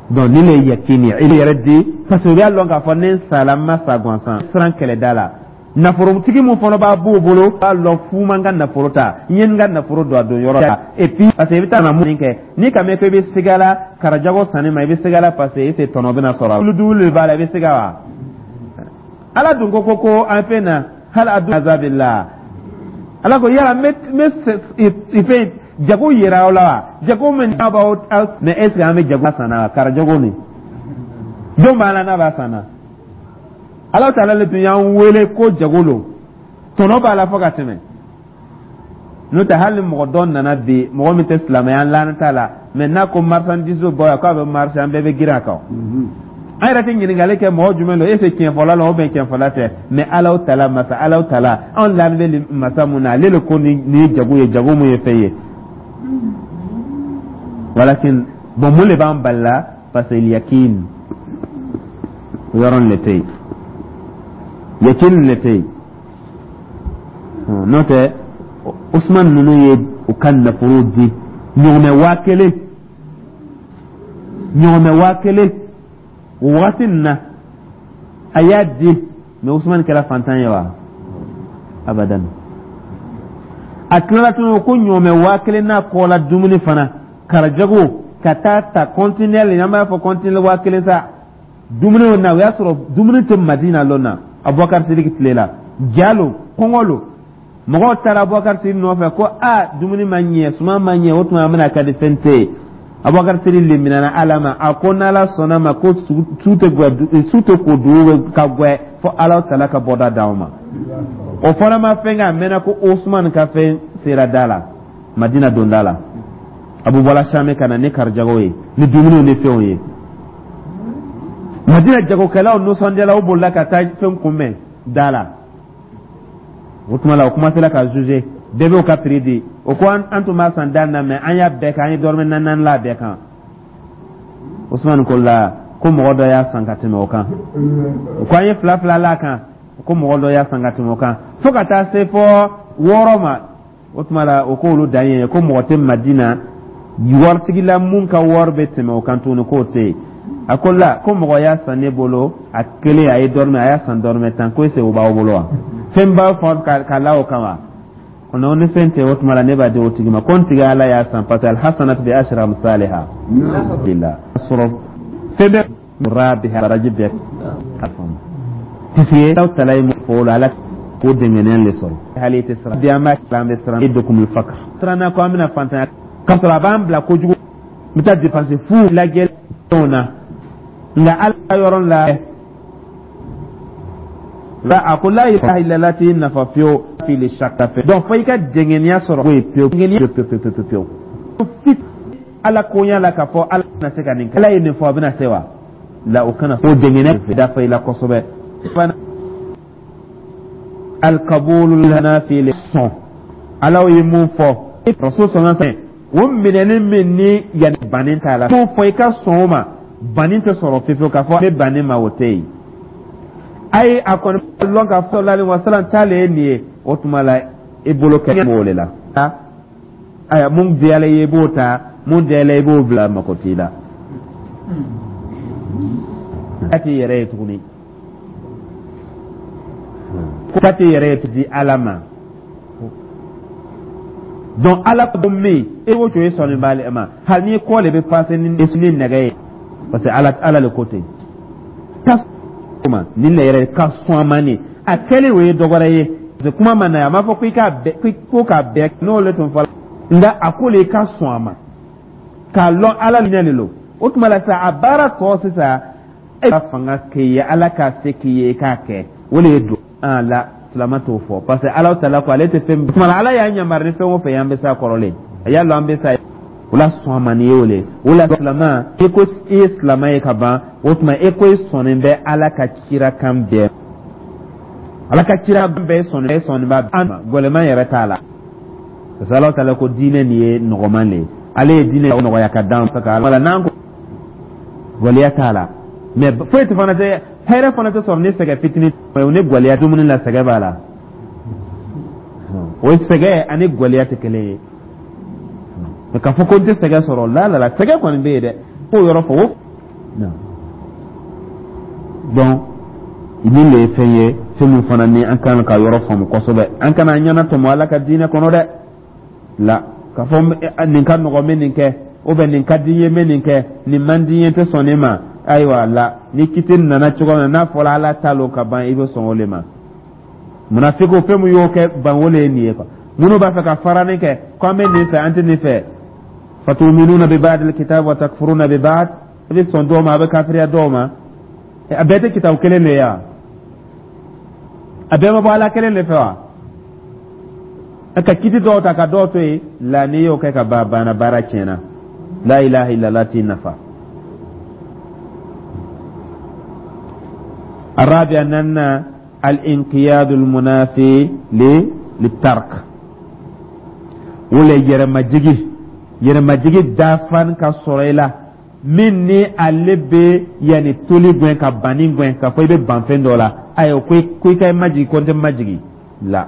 Donc ni le yakini i yɛrɛ di, parce que u y'a lɔn k'a fɔ ne sala, n ma sa gansan siran kɛlɛda la. Nafolotigi mun fana b'a b'o bolo, b'a lɔn fu man ka nafolo ta, n ye n ka nafolo don a don yɔrɔ la. Et puis parce que i bɛ taa na mun kɛ n'i ka mɛn ko i bɛ siga la karajago sanni ma, i bɛ siga la parce que e tɛ tɔnɔ bɛna sɔrɔ a la, tulu de b'a la, i bɛ siga wa? Ala dun ko ko ko an fɛn na hali a dun azabillah. Ala ko yala n bɛ n bɛ fɛn jago yira aw la wa? Jago min n'a b'aw, mais est ce que an bɛ jago san na wa? Karajago nin, jɔn b'a la n'a b'a san na? Ala taala le tun y'an wele ko jago lo, tɔnɔ b'a la fo ka tɛmɛ. N'o tɛ, hali ni mɔgɔ dɔ nana bi, mɔgɔ min tɛ silamɛya laana t'a la, mais n'a ko marchandise bɔ yan k'a bɛ marché, an bɛɛ bɛ girin a kan. An yɛrɛ tɛ ɲininkali kɛ mɔgɔ jumɛn don, est ce que tiɲɛfɔla la ou bien tiɲɛfɔla tɛ. Mais Ala taala masa, Ala taala anw lamɛn bɛ masa mun na, ale le ko nin ye jago ye, jago mun ye fɛn ye. Walakin bon, mun de b'an bali la? Parce que yakin o yɔrɔ le tɛ yen, yakin le tɛ yen. N'o tɛ, Usman ninnu ye u ka nafolo di ɲɔgɔmɛ waa kelen, ɲɔgɔmɛ waa kelen o wagati nin na, a y'a di. Mais Usman kɛra fantan ye wa? Abadan. A tilala tun ko ɲɔgɔmɛ waa kelen n'a kɔ la dumuni fana karajago ka taa ta conteneur, an b'a fɔ conteneur waa kelen sa. Dumuni na, o y'a sɔrɔ dumuni tɛ Madina lon na. Abubakar Sidiki tile la, jalo kɔngɔ lo, mɔgɔw taara Abubakar Sidiki nɔfɛ ko a dumuni ma ɲɛ, suman ma ɲɛ. O tuma an bɛna ka di, fɛn tɛ yen. Abubakar Sidiki liminana Ala ma, a ko n'Ala sɔnna ma ko su tɛ gwɛ, su tɛ ko, dugu ka gwɛ fo Ala tala ka bɔda d'anw ma. O fana ma fɛn kɛ, a mɛnna ko Osman ka fɛn sera da la, Madina donda la. Abu bɔla Sami ka na ni karijago ye, ni dumuniw ni fɛnw ye. Madina jagokɛlaw nisɔndiyala, u bolila ka taa fɛn kunbɛn da la. O tuma la, o kuma sera ka juger, bɛɛ b'o ka prix di. O ko an tun b'a san da na, mɛ an y'a bɛɛ kɛ, an ye dɔrɔmɛ naani naani la bɛɛ kan. Usman ko la ko mɔgɔ dɔ y'a san ka tɛmɛ o kan. O ko an ye fila fila la kan, ko mɔgɔ dɔ y'a san ka tɛmɛ o kan, fo ka taa se fɔ wɔɔrɔ ma. O tuma la, o k'olu dan ye ko mɔgɔ tɛ Madina waritigi la mun ka wari bɛ tɛmɛ o kan tuguni, k'o tɛ yen. A ko la ko mɔgɔ y'a san ne bolo a kelen, a ye dɔrɔmɛ, a y'a san dɔrɔmɛ tan. Ko ese o b'aw bolo wa? Fɛn b'a fɔ ka la o kan wa? Kɔnɔ ni fɛn tɛ, o tuma la ne b'a di o tigi ma ko n tigi Ala y'a san, parce que alhasanatu bi ashri amsalha la sɔrɔ fɛn bɛ rabiha baraji bɛɛ a faamu, puisque aw tala ye mun fɔ o la, Ala k'o dɛngɛnɛya le sɔrɔ. Hali i tɛ siran bi, an b'a an bɛ siran i dokumul fakr siranna ko an bɛna fantanya k'a sɔrɔ a b'an bila kojugu, n bɛ taa dépenser fu lajɛlenw na. Nka Ala yɔrɔ la la, a ko la ilaha illallah t'i nafa fiyewu fili shaka fɛ. Donc fo i ka dɛngɛniya sɔrɔ o ye pewu, dɛngɛniya pewu pewu pewu pewu fit Ala koɲa la, k'a fɔ Ala bɛna se ka nin kɛ, Ala ye nin fɔ, a bɛna se wa la, o kana o dɛngɛniya dafa i la kosɛbɛ. Alkabulu nafi le sɔn Ala ye mun fɔ, rasul sɔnna fɛn o minɛni min ni yanni banni t'a la, mun fɔ i ka sɔn o ma, banni tɛ sɔrɔ fiyewu. K'a fɔ ne banni ma, o tɛ yen. Ayi, a kɔni lɔn k'a fɔ sallallahu alaihi wasallam ta le ye nin ye. O tuma la, i bolo kɛ b'o de la. Ayiwa, mun diyala i ye, i b'o ta, mun diyala i b'o bila, mako t'i la a t'i yɛrɛ ye tuguni, ko t'i yɛrɛ ye di Ala ma. Donc Ala ko min e ko to, e sɔnni b'ale ma, hali n'i kɔ de bɛ passer ni ni nɛgɛ ye, parce que Ala Ala le ko ten ka ma nin le yɛrɛ ka sɔn a ma. Nin a kɛlen, o ye dɔ wɛrɛ ye, parce que kuma ma na yan, a m'a fɔ ko i k'a bɛɛ ko k'a bɛɛ n'o le tun fɔla, nka a ko le i ka sɔn a ma k'a lɔn Ala ɲɛ de lo. O tuma la sisan, a baara tɔ sisan, e ka fanga k'i ye, Ala k'a se k'i ye i k'a kɛ, o de ye don an la. Silama t'o fɔ, parce que Ala ta ko ale tɛ fɛn. Tuma la, Ala y'an yamaru ni fɛn o fɛn ye, an bɛ s'a kɔrɔlen, a y'a lɔn an bɛ sa o la. Sɔn a ma nin ye o le o la. Silama, i ko i ye silama ye ka ban, o tuma e ko i sɔnnen bɛ Ala ka kira kan bɛɛ, Ala ka kira bɛɛ sɔnnen sɔnnen b'a ma, gɛlɛman yɛrɛ t'a la, parce que Ala ta ko diinɛ nin ye nɔgɔman de ye. Ale ye diinɛ nɔgɔya ka d'an fɛ ka ala n'an ko gɛlɛya t'a la, mɛ foyi tɛ fana tɛ, hɛrɛ fana tɛ sɔrɔ ni sɛgɛ fitinin ni gɛlɛya. Dumuni la, sɛgɛ b'a la, o sɛgɛ ani gɛlɛya tɛ kelen ye. Mɛ k'a fɔ ko n tɛ sɛgɛ sɔrɔ la la la, sɛgɛ kɔni bɛ yen dɛ, k'o yɔrɔ fɔ o. Donc nin de ye fɛn ye, fɛn min fana ni an kan ka yɔrɔ faamu kosɛbɛ. An kana an ɲɛna tɔmɔ Ala ka diinɛ kɔnɔ dɛ la, k'a fɔ nin ka nɔgɔ, n bɛ nin kɛ, ou bien nin ka di n ye, n bɛ nin kɛ, nin man di n ye, n tɛ sɔn nin ma. Ayiwa la, ni kiti nana cogo min na, n'a fɔra Ala ta lo ka ban, i bɛ sɔn o de ma. Munafikiw, fɛn min y'o kɛ ban, o de ye nin ye quoi. Minnu b'a fɛ ka farani kɛ ko an bɛ nin fɛ, an tɛ nin fɛ, fatuminuna bi ba'dil kitab wa takfuruna bi ba'd, i bɛ sɔn dɔw ma, a bɛ kafiriya dɔw ma. A bɛɛ tɛ kitabu kelen de ye wa? A bɛɛ ma bɔ Ala kelen de fɛ wa? Ka kiti dɔw ta ka dɔw to yen la, n'i y'o kɛ ka ban, banna, baara tiɲɛna. La ilaha illallah t'i nafa. الرابع أن الانقياد المنافي للترك ولا يرمجي يرمجي دافan ka sɔrɔ i la, min ni ale bɛ yanni toli gɛn ka banni gɛn k'a fɔ i bɛ ban fɛn dɔ la. Ayiwa, ko ko i ka majigi, ko n tɛ majigi la.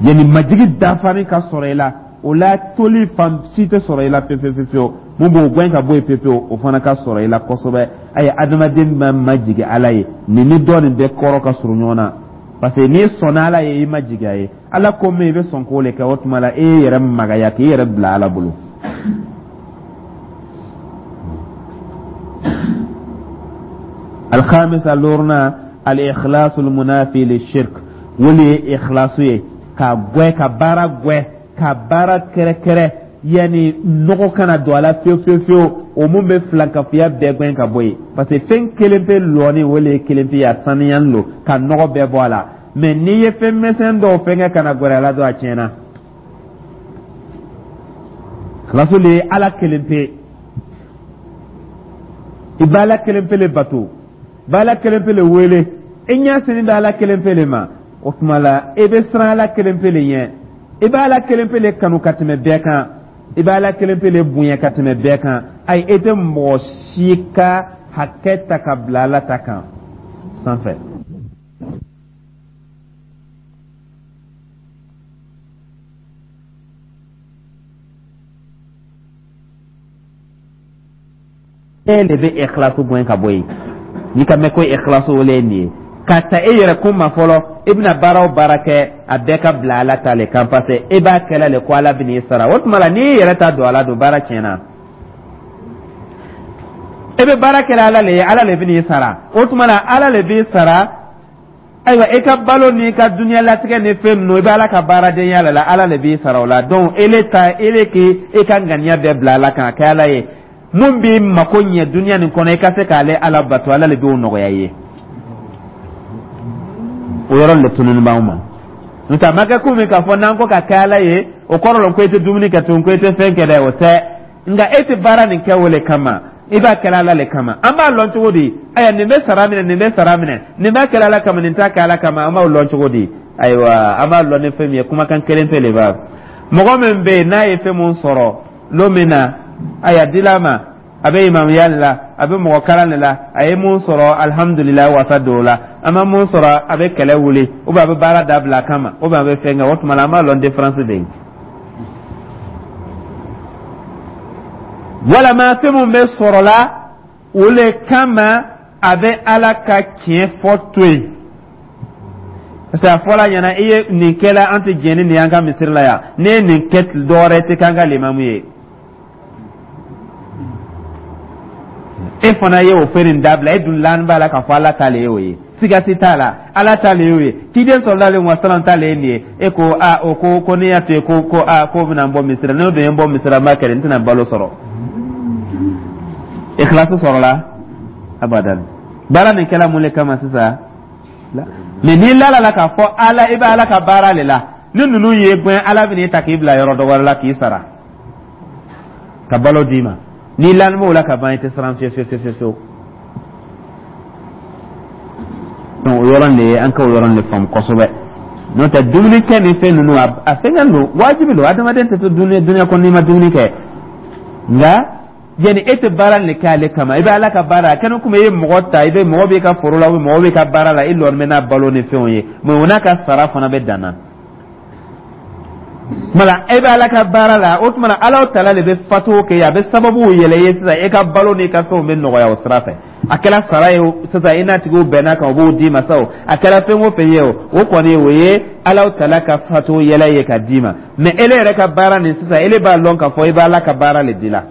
Yanni majigi dafani ka sɔrɔ i la, o la toli fan si tɛ sɔrɔ i la pewu pewu pewu. Mun b'o gɛn ka bɔ yen pewu pewu, o fana ka sɔrɔ i la kosɛbɛ. Ayi, adamaden ma majigi Ala ye, nin ni dɔ nin bɛɛ kɔrɔ ka surun ɲɔgɔn na, parce que n'i sɔnna Ala ye, i ma jigi a ye. Ala ko min, i bɛ sɔn k'o le kɛ. O tuma la, e yɛrɛ magaya k'i yɛrɛ bila Ala bolo. Alhamisa loruna, al-ikhlasu al-munafi lishirk, wole ye ikhlasu ye ka gwɛ, ka baara gwɛ, ka baara kɛrɛkɛrɛ, yani nɔgɔ kana don a la fiyewu fiyewu fiyewu. O mun bɛ filankafoya bɛɛ gɛn ka bɔ yen, parce que fɛn kelen pe lɔni, o le ye kelen pe ye, a saniyalen don ka nɔgɔ bɛɛ bɔ a la. Mais n'i ye fɛn misɛn dɔw fɛnkɛ ka na gɛrɛ a la dɔrɔn, a tiɲɛna. Ikhlasu le ye Ala kelen pe, i b'Ala kelen pe le bato, b'Ala kelen pe le wele, i ɲɛ sini bɛ Ala kelen pe le ma. O tuma la, i bɛ siran Ala kelen pe le ɲɛ, i bɛ Ala kelen pe le kanu ka tɛmɛ bɛɛ kan, i bɛ Ala kelen pe le bonya ka tɛmɛ bɛɛ kan. Ayi, e tɛ mɔgɔ si ka hakɛ ta ka bila Ala ta kan sanfɛ. E de bɛ ikhlasu gɛn ka bɔ yen. N'i ka mɛn ko ikhlasu, o le ye nin ye ka ta e yɛrɛ kun ma fɔlɔ. I bɛna baara o baara kɛ, a bɛɛ ka bila Ala ta le kan, parce que e b'a kɛla le ko Ala bɛ n'i sara. O tuma la, n'i yɛrɛ ta don a la don, baara tiɲɛna. E bɛ baara kɛla Ala le ye, Ala le bɛ n'i sara. O tuma la, Ala le b'i sara. Ayiwa, e ka balo n'i ka dunuya latigɛ ni fɛn ninnu, i bɛ Ala ka baaradenya la la, Ala le b'i sara o la. Donc ele ta, ele k'i e ka ŋaniya bɛɛ bila Ala kan, a kɛ Ala ye mun b'i mako ɲɛ duniya nin kɔnɔ, i ka se k'ale Ala bato, Ala le b'o nɔgɔya i ye. O yɔrɔ le tununi b'anw ma. N'o tɛ, a ma kɛ komi k'a fɔ n'an ko ka kɛ Ala ye, o kɔrɔ la ko e tɛ dumuni kɛ tun, ko e tɛ fɛn kɛ dɛ, o tɛ. Nka e tɛ baara nin kɛ o le kama, i b'a kɛla Ala le kama. An b'a lɔn cogo di? Ayiwa, nin bɛ sara minɛ, nin bɛ sara minɛ, nin b'a kɛla Ala kama, nin t'a kɛ Ala kama, an b'o lɔn cogo di? Ayiwa, an b'a lɔn ni fɛn min ye, kumakan kelen pe le b'a. Mɔgɔ min bɛ yen n'a ye fɛn mun sɔrɔ lon min na, ayiwa, dila ma, a bɛ imamuya de la, a bɛ mɔgɔ kalan de la, a ye mun sɔrɔ, alihamudulilayi, wasa don o la. A ma mun sɔrɔ, a bɛ kɛlɛ wuli, ou bien a bɛ baara dabila a kama, ou bien a bɛ fɛn kɛ. O tuma la, an b'a lɔn différence bɛ yen. Walama fɛn mun bɛ sɔrɔ la, o le kama a bɛ Ala ka tiɲɛ fɔ to yen, parce que a fɔla ɲɛna, i ye nin kɛla, an tɛ jɛn ni nin y'an ka misiri la yan. Ne ye nin kɛ, dɔwɛrɛ tɛ k'an ka limamu ye. E fana ye o fɛn nin dabila, e dun lani b'a la k'a fɔ Ala ta le ye o ye, siga si t'a la, Ala ta le y'o ye, ciden sɔrɔla alayhi wa salam ta le ye nin ye. E ko a o ko ko ne y'a to yen ko ko a ko bɛna n bɔ misiri la, n'o dun ye n bɔ misiri la, n b'a kɛ, n tɛna balo sɔrɔ. Ikhlasu sɔrɔla abadan. Baara nin kɛla mun le kama sisan? Mais n'i lala la k'a fɔ Ala, i bɛ Ala ka baara le la, ni ninnu ye gɛn, Ala bɛ n'i ta k'i bila yɔrɔ dɔ wɛrɛ la k'i sara ka balo d'i ma. N'i lani b'o la ka ban, i tɛ siran fiyewu fiyewu fiyewu fiyewu. Donc o yɔrɔ de ye, an ka o yɔrɔ de faamu kosɛbɛ. N'o tɛ, dumuni kɛ ni fɛn ninnu, a fɛngɛ don, wajibi don, adamaden tɛ to dunuya dunuya kɔnɔ n'i ma dumuni kɛ. Nka yanni e tɛ baara nin kɛ ale kama, i bɛ Ala ka baara a kɛnɛ komi i ye mɔgɔ ta, i bɛ mɔgɔ b'i ka foro la, mɔgɔ b'i ka baara la, i lɔni bɛ n'a balo ni fɛnw ye, mais o n'a ka sara fana bɛ dan na. Tuma la, e bɛ Ala ka baara la, o tuma la, Ala tala de bɛ fatuw kɛ, a bɛ sababuw yɛlɛ i ye sisan, e ka balo n'i ka fɛnw bɛ nɔgɔya o sira fɛ. A kɛra sara ye sisan, i n'a tigiw bɛnna kan, o b'o d'i ma sa, o a kɛra fɛn o fɛn ye, o o kɔni o ye Ala tala ka fatuw yɛlɛ ye ka d'i ma. Mais ele yɛrɛ ka baara nin sisan, ele b'a lɔn k'a fɔ i bɛ Ala ka baara le di la.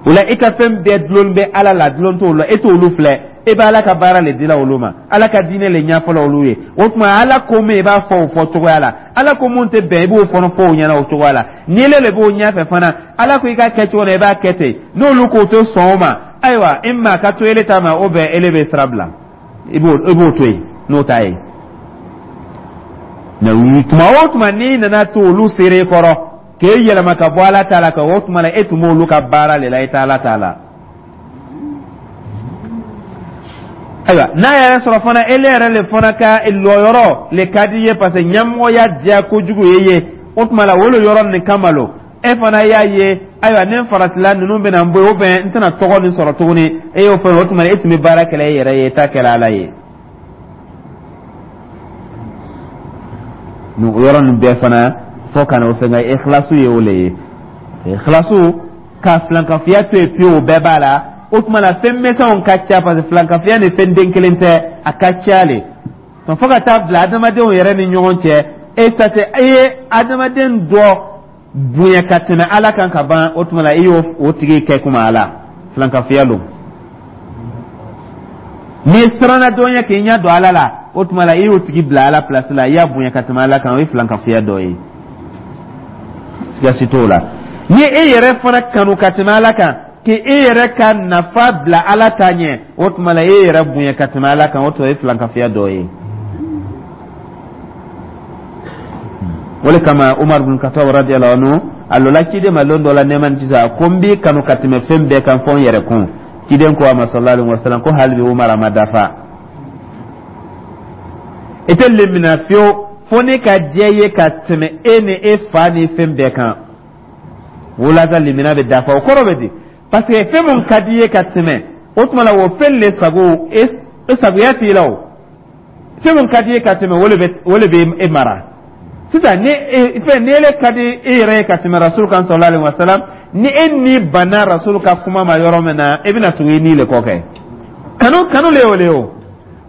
O la, i ka fɛn bɛɛ dulon bɛ Ala la, dulon t'olu la, e t'olu filɛ, e bɛ Ala ka baara le dila olu ma, Ala ka diinɛ le ɲɛfɔla olu ye. O tuma, Ala ko min, i b'a fɔ o fɔ cogoya la, Ala ko mun tɛ bɛn, i b'o fana fɔ o ɲɛna o cogoya la. Ni ele le b'o ɲɛfɛ fana, Ala ko i ka kɛ cogo la, i b'a kɛ ten. N'olu k'o tɛ sɔn o ma, ayiwa, i ma ka to ele ta ma, o bɛn, ele bɛ sira bila, i b'o i b'o to yen n'o t'a ye. Mais tuma o tuma n'i nana to olu seere kɔrɔ k'e yɛlɛma ka bɔ Ala ta la, ka o tuma la, e tun b'olu ka baara le la, i tɛ Ala ta la. Ayiwa, n'a yɛrɛ sɔrɔ fana, ele yɛrɛ le fana ka lɔyɔrɔ le ka di ye, parce que ɲɛmɔgɔya diya kojugu ye ye, o tuma la, o le yɔrɔ nin kama lo e fana y'a ye, ayiwa, ni n faratila, ninnu bɛna n bɔ yen, ou bien n tɛna tɔgɔ nin sɔrɔ tuguni, e y'o fɔ, o tuma la, e tun bɛ baara kɛla e yɛrɛ ye, e t'a kɛla Ala ye. O yɔrɔ nin bɛɛ fana fo ka na o fɛn kɛ ikhlasu ye, o le ye ikhlasu ka filankafoya to yen pewu, o bɛɛ b'a la. O tuma la, fɛn misɛnw ka ca, parce que filankafoya ni fɛn den kelen tɛ, a ka ca le. Fo ka taa bila adamadenw yɛrɛ ni ɲɔgɔn cɛ, e ta tɛ, e ye adamaden dɔ bonya ka tɛmɛ Ala kan ka ban, o tuma la, i y'o o tigi kɛ kuma Ala filankafoya don. N'i siranna dɔ ɲɛ k'i ɲɛ don Ala la, o tuma la i y'o tigi bila Ala place la, i y'a bonya ka tɛmɛ Ala kan, o ye filankafoya dɔ ye, siga si t'o la. Ni e yɛrɛ fana kanu ka tɛmɛ Ala kan, k'e yɛrɛ ka nafa bila Ala ta ɲɛ, o tuma la e yɛrɛ bonya ka tɛmɛ Ala kan, o tuma ye filankafoya dɔ ye. O le kama Umar bin Khattab radiyallahu anhu a lɔla ciden ma lon dɔ la, nɛɛma ni kisi, a ko n b'i kanu ka tɛmɛ fɛn bɛɛ kan fɔ n yɛrɛ kun. Ciden ko a ma sallallahu alaihi wasallam ko hali bi Umar, a ma dafa, i tɛ lemina fiyewu fo ne ka diya i ye ka tɛmɛ e ni e fa ni fɛn bɛɛ kan. Wulasa lemina bɛ dafa, o kɔrɔ bɛ di? Parce que fɛn mun ka di i ye ka tɛmɛ, o tuma la o fɛn le sago e sagoya t'i la. O fɛn mun ka di i ye ka tɛmɛ, o le bɛ o le bɛ e mara sisan. Ni fɛn ni ele ka di e yɛrɛ ye ka tɛmɛ Rasul kan sallallahu alaihi wasallam, ni e ni banna Rasul ka kuma ma yɔrɔ min na, e bɛna tugu i ni le kɔ kɛ. Kanu kanu le y'o le ye. O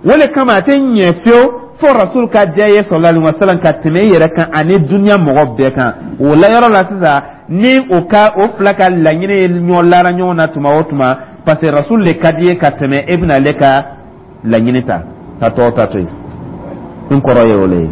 o le kama a tɛ ɲɛ fiyewu fo Rasul ka diya ye sallallahu alaihi wasallam ka tɛmɛ i yɛrɛ kan ani dunuya mɔgɔ bɛɛ kan. O la yɔrɔ la sisan, ni o ka o fila ka laɲini ye ɲɔgɔn lara ɲɔgɔn na tuma o tuma, parce que Rasul le ka di ye ka tɛmɛ, e bɛna ale ka laɲini ta ka tɔw ta to yen. N kɔrɔ ye o le ye.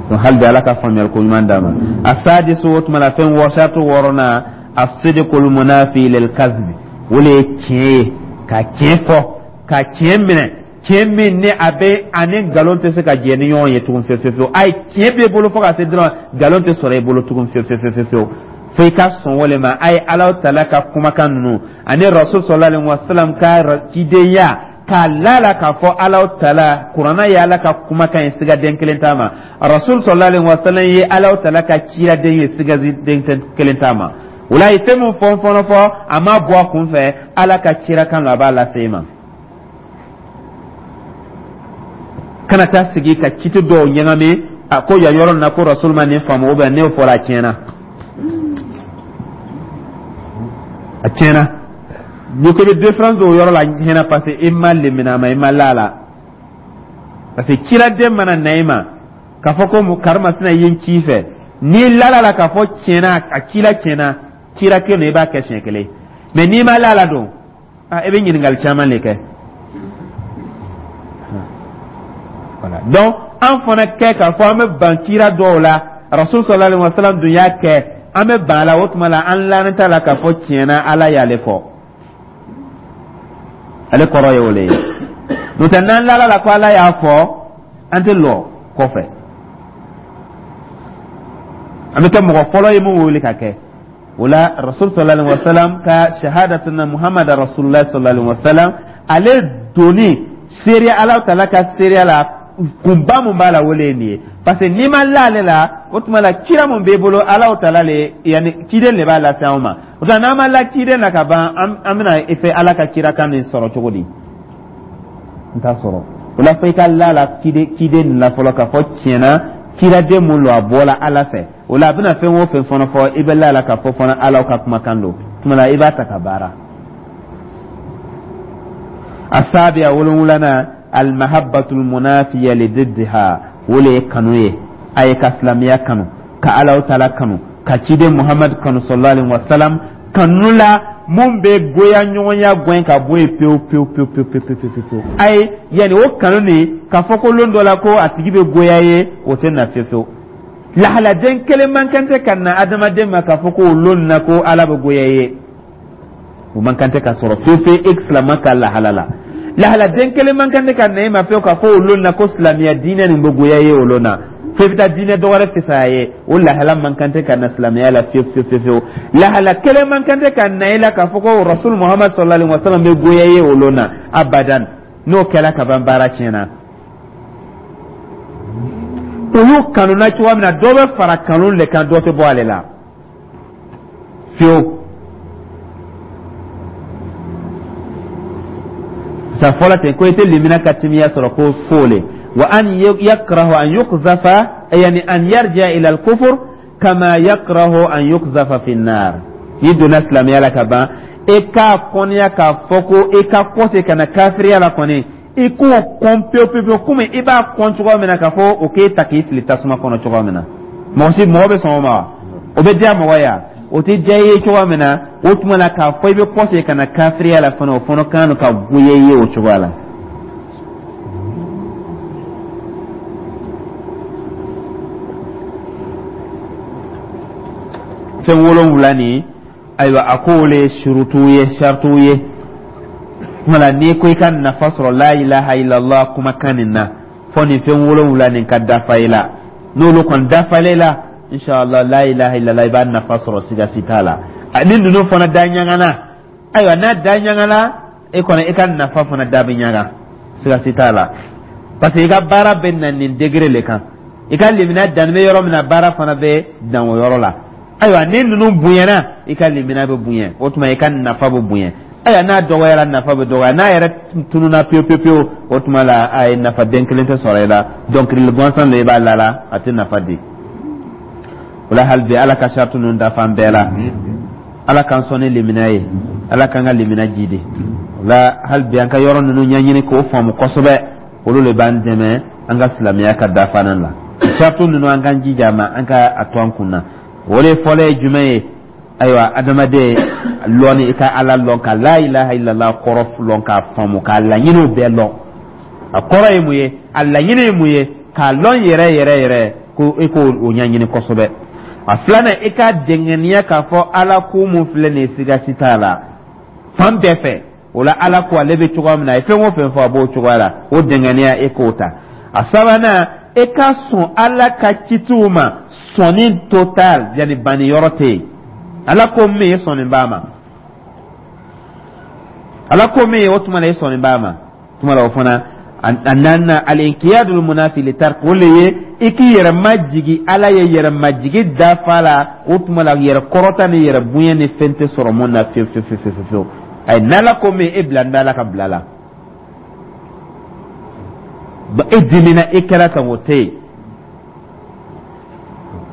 Donc hali bi Ala ka faamuyali ko ɲuman d'a ma. Asadisu, o tuma la fɛn wɔsatu wɔɔrɔnan, asidikul munafi lil kazbi, o le ye tiɲɛ ye, ka tiɲɛ fɔ, ka tiɲɛ minɛ, tiɲɛ min ni a bɛ ani nkalon tɛ se ka jɛ ni ɲɔgɔn ye tugun fiyewu fiyewu. Ayi, tiɲɛ b'e bolo fo ka se dɔrɔn, nkalon tɛ sɔrɔ e bolo tugun fiyewu fiyewu fiyewu, fo i ka sɔn o le ma. A ye Ala tala ka kumakan ninnu ani Rasul sallallahu alaihi wasallam ka cidenya k'a lala k'a fɔ Ala tala kuranna ye Ala ka kumakan ye, sigaden kelen t'a ma. Rasul sallallahu alaihi wasallam ye Ala tala ka ciraden ye, sigaden kelen t'a ma. O la, a ye fɛn min fɔ fɔlɔ fɔ, a ma bɔ a kun fɛ, Ala ka cirakan don, a b'a lase i ma. Kana taa sigi ka citi dɔw ɲagami, a ko yan yɔrɔ nin na ko Rasul ma nin faamu, ou bien n'o fɔra, a tiɲɛna, a tiɲɛna. N'i ko i bɛ différence dɔw yɔrɔ la tiɲɛna, parce que i ma lemina a ma, i ma la la, parce que ciraden mana na i ma k'a fɔ ko karimasina ye n ci fɛ, n'i lala la k'a fɔ tiɲɛna, a cila tiɲɛna, cira kelen don, i b'a kɛ siɲɛ kelen. Mais n'i ma la la don, a i bɛ ɲininkali caman de kɛ. Voilà, donc an fana kɛ k'a fɔ an bɛ ban cira dɔw la, Rasul sallallahu alaihi wasallam dun y'a kɛ, an bɛ ban a la, o tuma la an lannen t'a la k'a fɔ tiɲɛna Ala y'ale fɔ, ale kɔrɔ ye o le ye. N'o tɛ, n'an lala la ko Ala y'a fɔ, an tɛ lɔ kɔfɛ, an bɛ kɛ mɔgɔ fɔlɔ ye mun wele ka kɛ o la. Rasul sallallahu alaihi wasallam ka shahadatuna Muhammad rasulullah sallallahu alaihi wasallam, ale donni seereya Ala taala ka seereya la, kunba mun b'a la, o le ye nin ye. Parce que n'i ma la ale la, o tuma la kira mun b'e bolo, Ala taala le, yanni ciden le b'a lase anw ma. O tuma n'an ma la ciden na ka ban, an bɛna i fɛ Ala ka kirakan nin sɔrɔ cogo di? N t'a sɔrɔ. O la fo i ka la la ciden ciden nin la fɔlɔ k'a fɔ tiɲɛna kiraden mun don, a bɔla Ala fɛ. O la a bɛna fɛn o fɛn fana fɔ, i bɛ la la k'a fɔ fana Ala ka kumakan don, tuma la i b'a ta ka baara. Asabiya, wolonwulanan, almahabbatul munafiya li diddiha, o le ye kanu ye. A ye ka silamɛya kanu, ka Ala taala kanu, ka ciden Muhammad kanu sallallahu alaihi wasallam, kanu la mun bɛ goya ɲɔgɔnya gɛn ka bɔ yen pewu pewu pewu pewu pewu pewu pewu. Ayi, yanni o kanu nin k'a fɔ ko lon dɔ la ko a tigi bɛ goya ye, o tɛ na fiyewu fiyewu. Lahaladen kelen man kan tɛ ka na adamaden ma k'a fɔ ko o lon na ko Ala bɛ goya ye, o man kan tɛ ka sɔrɔ fiyewu fiyewu e silama ka lahala la. Lahaladen kelen man kan tɛ ka na e ma fiyewu k'a fɔ o lon na ko silamɛya diinɛ nin bɛ goya ye, o lon na fo i bɛ taa diinɛ dɔ wɛrɛ fisaya ye, o lahala man kan tɛ ka na silamɛya la fiyewu fiyewu fiyewu. Lahala kelen man kan tɛ ka na e la k'a fɔ ko Rasul Muhammad sallallahu alaihi wa sallam bɛ goya ye o lon na abadan. N'o kɛra ka ban, baara tiɲɛna. Olu kanuna cogoya min na, dɔ bɛ fara kanu de kan, dɔ tɛ bɔ ale la fiyewu. Sa fɔlɔ ten ko i tɛ limina ka timiya sɔrɔ ko fo le wa an yakrahu an yuqzafa, yani an yarja ila al-kufr kama yakrahu an yuqzafa fi an-nar. N'i donna silamɛya la ka ban, e k'a kɔniya k'a fɔ ko i ka kɔse ka na kafiriya la kɔni, i k'o kɔn pewu pewu pewu, komi i b'a kɔn cogoya min na k'a fɔ o k'e ta k'i fili tasuma kɔnɔ cogoya min na. Mɔgɔ si mɔgɔ bɛ sɔn o ma wa? O bɛ diya mɔgɔ ye wa? O tɛ diya i ye cogoya min na, o tuma la k'a fɔ i bɛ kɔsegin ka na kafiriya la fana, o fana kan ka goya i ye o cogoya la. Fɛn wolonwula nin, ayiwa, a ko olu ye surutu ye, sarituw ye. Tuma la n'i ko i ka nafa sɔrɔ la ilaha illallah kumakan nin na, fɔ nin fɛn wolonwula nin ka dafa i la. N'olu kɔni dafalen la, inshallah, la ilaha illallah, i b'a nafa sɔrɔ, siga si t'a la. Ni ninnu fana da ɲagana, ayiwa, n'a da ɲagana, e kɔni i ka nafa fana da bɛ ɲaga, siga si t'a la, parce que i ka baara bɛ na nin degré le kan. I ka limina danni bɛ yɔrɔ min na, baara fana bɛ dan o yɔrɔ la. Ayiwa, ni ninnu bonyana, i ka limina bɛ bonya, o tuma i ka nafa bɛ bonya. Ayiwa, n'a dɔgɔyara, nafa bɛ dɔgɔya. N'a yɛrɛ tununa pewu pewu pewu, o tuma la a ye nafa den kelen tɛ sɔrɔ i la. Dɔnkili gansan de i b'a la la, a tɛ nafa di o la. Hali bi, Ala ka sarati ninnu dafa an bɛɛ la. Ala k'an sɔn ni limina ye, Ala k'an ka limina jidi o la. Hali bi, an ka yɔrɔ ninnu ɲɛɲini k'o faamu kosɛbɛ, olu de b'an dɛmɛ an ka silamɛya ka dafanan la. Sarati ninnu, an k'an jija a ma, an ka a to an kun na. O de fɔlɔ ye jumɛn ye? Ayiwa, adamaden lɔnni, i ka Ala lɔn, ka la ilaha illallah kɔrɔ lɔn, k'a faamu, k'a laɲiniw bɛɛ lɔn. A kɔrɔ ye mun ye? A laɲini ye mun ye? K'a lɔn yɛrɛ yɛrɛ yɛrɛ, ko i k'o o ɲɛɲini kosɛbɛ. A filanan, i ka dɛngɛniya k'a fɔ Ala ko mun filɛ nin ye, siga si t'a la fan bɛɛ fɛ. O la, Ala ko ale bɛ cogoya min na, a ye fɛn o fɛn fɔ, a b'o cogoya la, o dɛngɛniya, e k'o ta. A sabanan, e ka sɔn Ala ka citiw ma, sɔnni total, yanni banni yɔrɔ tɛ yen. Ala ko min, e sɔnni b'a ma. Ala ko min ye, o tuma la e sɔnni b'a ma. Tuma la o fana. A naaninan, alinkiyadul munafi li tark, o le ye i k'i yɛrɛ majigi Ala ye, yɛrɛ majigi dafa la. O tuma la yɛrɛ kɔrɔta ni yɛrɛ bonya ni fɛn tɛ sɔrɔ mun na fiyewu fiyewu fiyewu fiyewu. Ayi, n'Ala ko min, e bila n bɛ Ala ka bila la. E dimina, e kɛra tan, o tɛ yen.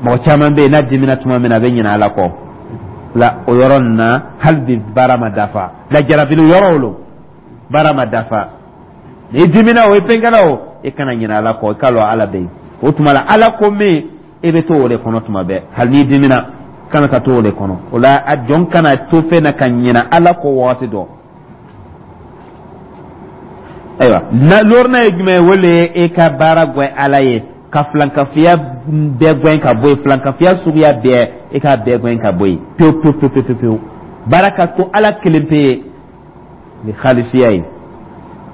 Mɔgɔ caman bɛ yen, n'a dimina tuma min na, a bɛ ɲinɛ Ala kɔ la. O yɔrɔ nin na, hali bi baara ma dafa. Lajarabili yɔrɔ o lo, baara ma dafa. N'i dimina o, i pɛnkɛla o, i kana ɲinɛ Ala kɔ, i k'a lɔn Ala bɛ yen. O tuma la, Ala ko min, e bɛ to o de kɔnɔ tuma bɛɛ. Hali n'i dimina, kana ka to o de kɔnɔ. O la, a jɔn kana to fɛn na ka ɲinɛ Ala kɔ wagati dɔ. Ayiwa, lorina ye jumɛn ye? O le ye e ka baara gwɛ Ala ye, ka filankafiya bɛɛ gwɛn ka bɔ yen, filankafiya suguya bɛɛ, e k'a bɛɛ gwɛn ka bɔ yen pewu pewu pewu pewu pewu. Baara ka to Ala kelen pe ye ni halisiya ye.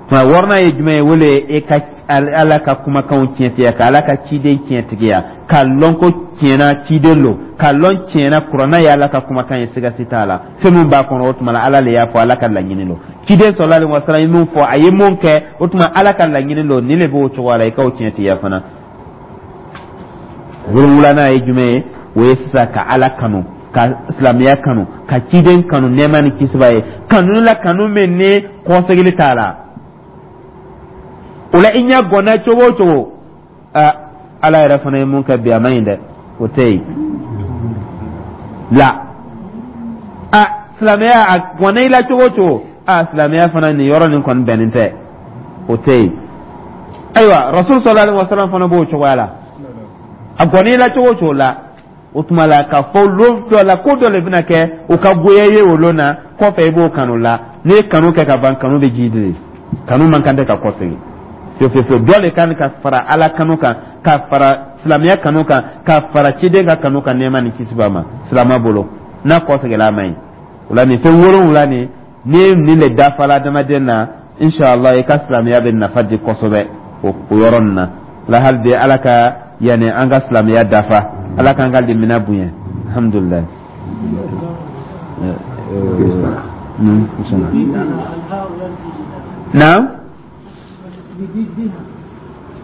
Tuma wɔɔrɔnan ye jumɛn ye? O le ye e ka Ala ka kumakanw tiɲɛtigiya, ka Ala ka ciden tiɲɛtigiya, k'a lɔn ko tiɲɛna ciden lo, k'a lɔn tiɲɛna kuranna ye Ala ka kumakan ye, siga si t'a la. Fɛn min b'a kɔnɔ, o tuma la Ala le y'a fɔ, Ala ka laɲini lo. Ciden sɔlɔlahu alayhi wa sallam ye mun fɔ, a ye mun kɛ, o tuma Ala ka laɲini lo. Nin le b'o cogoya la, i k'o tiɲɛtigiya fana. Wolonwulanan ye jumɛn ye? O ye sisan ka Ala kanu, ka silamɛya kanu, ka ciden kanu, nɛɛma ni kisi b'a ye. Kanu la, kanu min ni kɔsegili t'a la. O la, i ɲɛ gɔnna cogo o cogo, aa, Ala yɛrɛ fana ye mun kɛ bi, a ma ɲi dɛ, o tɛ yen la. A silamɛya, a gɔnna i la cogo o cogo, a silamɛya fana nin yɔrɔ nin kɔni bɛnnen tɛ, o tɛ yen. Ayiwa, Rasul sallallahu alaihi wasallam fana b'o cogoya la. A gɔnna i la cogo o cogo la, o tuma la k'a fɔ lon dɔ la, ko dɔ de bɛna kɛ, o ka goya i ye o lon na, kɔfɛ i b'o kanu la. N'i ye kanu kɛ ka ban, kanu bɛ ji de, kanu man kan tɛ ka kɔsegin fiyewu fiyewu fiyewu. Dɔ de kan ka fara Ala kanu kan, ka fara silamɛya kanu kan, ka fara ciden ka kanu kan, nɛɛma ni kisi b'a ma. Silamɛ bolo, n'a kɔseginna, a ma ɲi. O la, nin fɛn wolonwula nin, ni nin le dafala adamaden na, inshallah, i ka silamɛya bɛ nafa di kosɛbɛ o o yɔrɔ nin na la. Hali bi, Ala ka yanni an ka silamɛya dafa, Ala k'an ka limina bonya. Alhamdulilayi. نعم،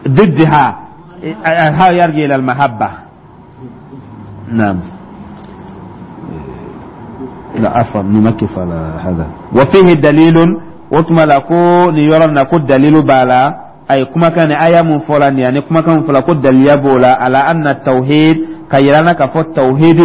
ضدها الهاء يرجع إلى المحبة. نعم، لا، عفوا، نمكف على هذا. وفيه دليل، وتما لكو نيورا نكو دليل بالا، أي كما كان آية من فلان، يعني كما كان فلا كو دليل بولا على أن التوحيد، كيرانا كفو التوحيد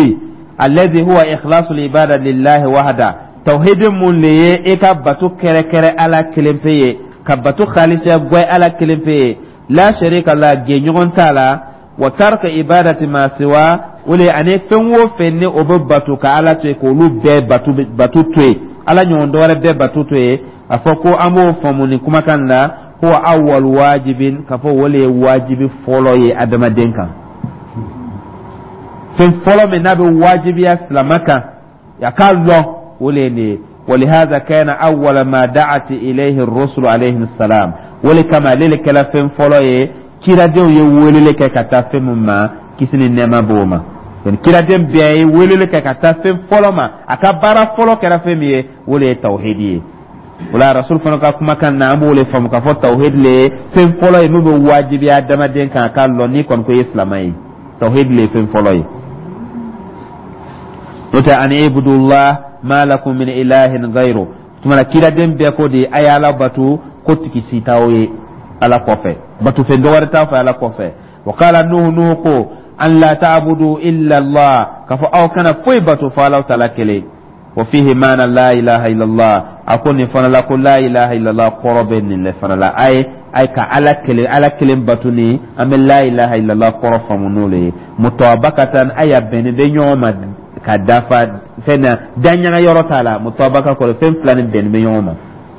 الذي هو إخلاص العبادة لله وحده. توحيد mun le ye e ka bato kɛrɛkɛrɛ Ala kelen pe ye, ka bato khalisiya gwɛ Ala kelen pe ye, la sharika la, gɛɲɔgɔn t'a la. Wa tarka ibadati ma siwa, o le ani fɛn o fɛn ni o bɛ bato ka Ala to yen, k'olu bɛɛ bato bato to yen, Ala ɲɔgɔn dɔwɛrɛ bɛɛ bato to yen. A fɔ ko an b'o faamu nin kumakan na, huwa awwal wajibin, k'a fɔ o le ye wajibi fɔlɔ ye adamaden kan. Fɛn fɔlɔ min n'a bɛ wajibiya silamɛ kan a k'a lɔn, o le ye nin ye. ولهذا كان أول ما دعت إليه الرسل عليهم السلام. O le kama ale le kɛla fɛn fɔlɔ ye kiradenw ye weleli kɛ ka taa fɛn min ma, kisi ni nɛɛma b'o ma. Yani kiraden bɛɛ ye weleli kɛ ka taa fɛn fɔlɔ ma, a ka baara fɔlɔ kɛra fɛn min ye, o le ye tawhidi ye. O la, rasul fana ka kumakan na, an b'o le faamu k'a fɔ tawhidi le ye fɛn fɔlɔ ye min bɛ wajibiya adamaden kan a k'a lɔn n'i kɔni ko i ye silamɛ ye. Tawhidi le ye fɛn fɔlɔ ye, n'o tɛ an ibudullah ma lakum min ilahin ghayru. Tuma la, kiraden bɛɛ ko de a ye Ala bato, ko tigi si t'aw ye Ala kɔfɛ, batofɛn dɔ wɛrɛ t'a fɛ Ala kɔfɛ. Wa qala Nuhu, Nuhu ko an la ta'budu illa Allah, k'a fɔ aw kana foyi bato fo Ala taala kelen. Wa fihi maana la ilaha illallah. A ko nin fana la, ko la ilaha illallah kɔrɔ bɛ nin le fana la. A ye a ye ka Ala kelen, Ala kelen bato ni an bɛ la ilaha illallah kɔrɔ faamu n'o le ye. Mutabakatan, a y'a bɛnnen bɛ ɲɔgɔn ma ka dafa fɛn na, daɲaga yɔrɔ t'a la. Mutabaka kɔrɔ, fɛn fila ni bɛnnen bɛ ɲɔgɔn ma.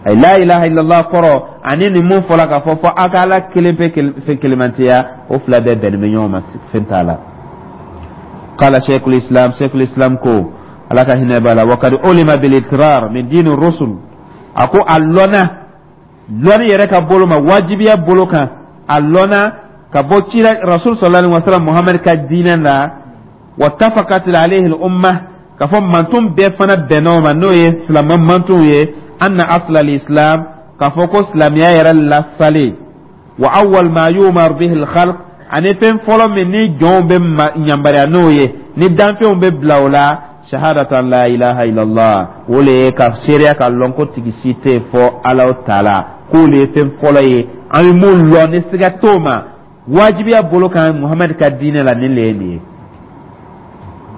Ayi, la ilaha illallah kɔrɔ ani nin mun fɔla k'a fɔ fɔ a ka Ala kelen pe fɛn kelenmantiya, o fila bɛɛ bɛnnen bɛ ɲɔgɔn ma, fɛn t'a la. Qala shaykhul islam, shaykhul islam ko, Ala ka hinɛ b'a la, wa kad ulima bil iqrar min dini rusul. A ko a lɔnna lɔnni yɛrɛ ka bolo ma, wajibiya bolo kan, a lɔnna ka bɔ cira rasul sallallahu alaihi wasallam Muhammad ka diinɛ la. Wattafaqat alayhi al umma, ka fɔ manton bɛɛ fana bɛnna o ma, n'o ye silamɛ mantonw ye, anna asla al islam, ka fɔ ko silamɛya yɛrɛ lasale, wa awwal ma yumar bihi al khalq, ani fɛn fɔlɔ min ni jɔnw bɛ ɲambariya n'o ye, ni danfɛnw bɛ bila o la, shahadatan la ilaha illallah, o le ye ka seereya ka lɔn ko tigi si tɛ fɔ Ala taala, k'o le ye fɛn fɔlɔ ye an bɛ mun lɔn ni siga t'o ma wajibiya bolo kan Muhamadu ka diinɛ la. Nin le ye nin ye,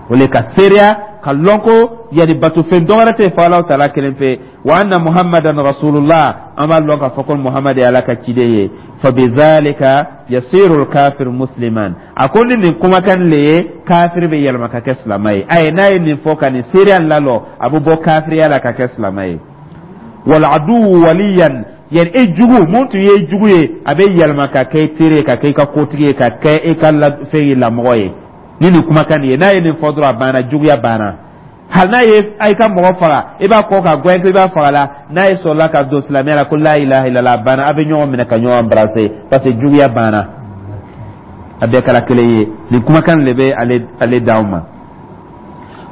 o le ka seereya ka lɔn ko yani batofɛn dɔ wɛrɛ tɛ fɔ Ala taala kelen pe. Wa anna Muhammadan rasulullah, an b'a lɔn k'a fɔ ko Muhamadu ye Ala ka ciden ye. Fa bizalika yasiru al-kafir musliman. A ko ni nin kumakan le ye, kafiri bɛ yɛlɛma ka kɛ silamɛ ye. Ayi, n'a ye nin fɔ ka nin seereya lalɔ, a bɛ bɔ kafiriya la ka kɛ silamɛ ye. Wal aduwu waliyan, yani e jugu mun tun ye jugu ye, a bɛ yɛlɛma ka kɛ i teri ye, ka kɛ i ka kotigi ye, ka kɛ e ka fɛn ye, lamɔgɔ ye, ni nin kumakan nin ye. N'a ye nin fɔ dɔrɔn, a banna, juguya banna. Hali n'a ye a ka mɔgɔ faga, i b'a kɔ ka gɛn ko i b'a faga la, n'a ye sɔrɔla ka don silamɛya la ko la ilaha illallah, a banna, a bɛ ɲɔgɔn minɛ ka ɲɔgɔn embrasser, parce que juguya banna, a bɛɛ kɛra kelen ye. Nin kumakan de bɛ ale ale d'aw ma.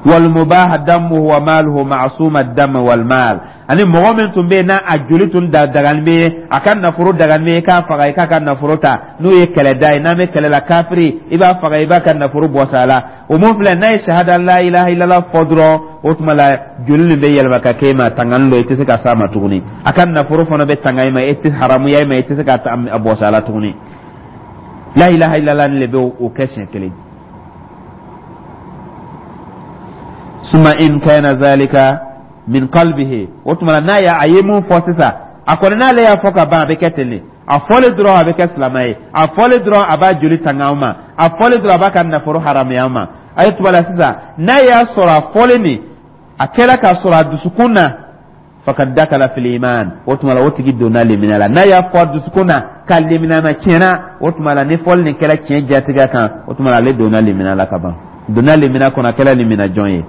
Wal mubah damuhu wa maluhu ma'suma dam wal mal, ani mɔgɔ min tun bɛ yen n'a a joli tun da dagani bɛ, a ka nafolo dagani bɛ, i k'a faga, i k'a ka nafolo ta, n'o ye kɛlɛda ye, n'an bɛ kɛlɛ la, kafiri, i b'a faga, i b'a ka nafolo bɔs'a la. O mun filɛ, n'a ye shahada la ilaha illallah fɔ dɔrɔn, o tuma la joli nin bɛ yɛlɛma ka kɛ e ma tangani dɔ, i tɛ se ka s'a ma tuguni. A ka nafolo fana bɛ tanga i ma, e tɛ haramuya i ma, i tɛ se ka a bɔs'a la tuguni. La ilaha illallah nin de bɛ o kɛ siɲɛ kelen. Suma in kana zalika min qalbihi, o tuma n'a y'a a ye mun fɔ sisan, a kɔni n'ale y'a fɔ ka ban, a bɛ kɛ ten de. A fɔlen dɔrɔn, a bɛ kɛ silamɛ ye. A fɔlen dɔrɔn, a b'a joli tanga an ma. A fɔlen dɔrɔn, a b'a ka nafolo haramuya an ma. A ye tuma la sisan, n'a y'a sɔrɔ a fɔlen nin a kɛra k'a sɔrɔ a dusukun na, fakad dakala fil iman, o tuma la o tigi donna limina la. N'a y'a fɔ a dusukun na ka limina na tiɲɛna, o tuma la ni fɔli nin kɛra tiɲɛ jatigɛ kan, o tuma la ale donna limina la ka ban, donna limina kɔnɔ, a kɛra limina jɔn ye.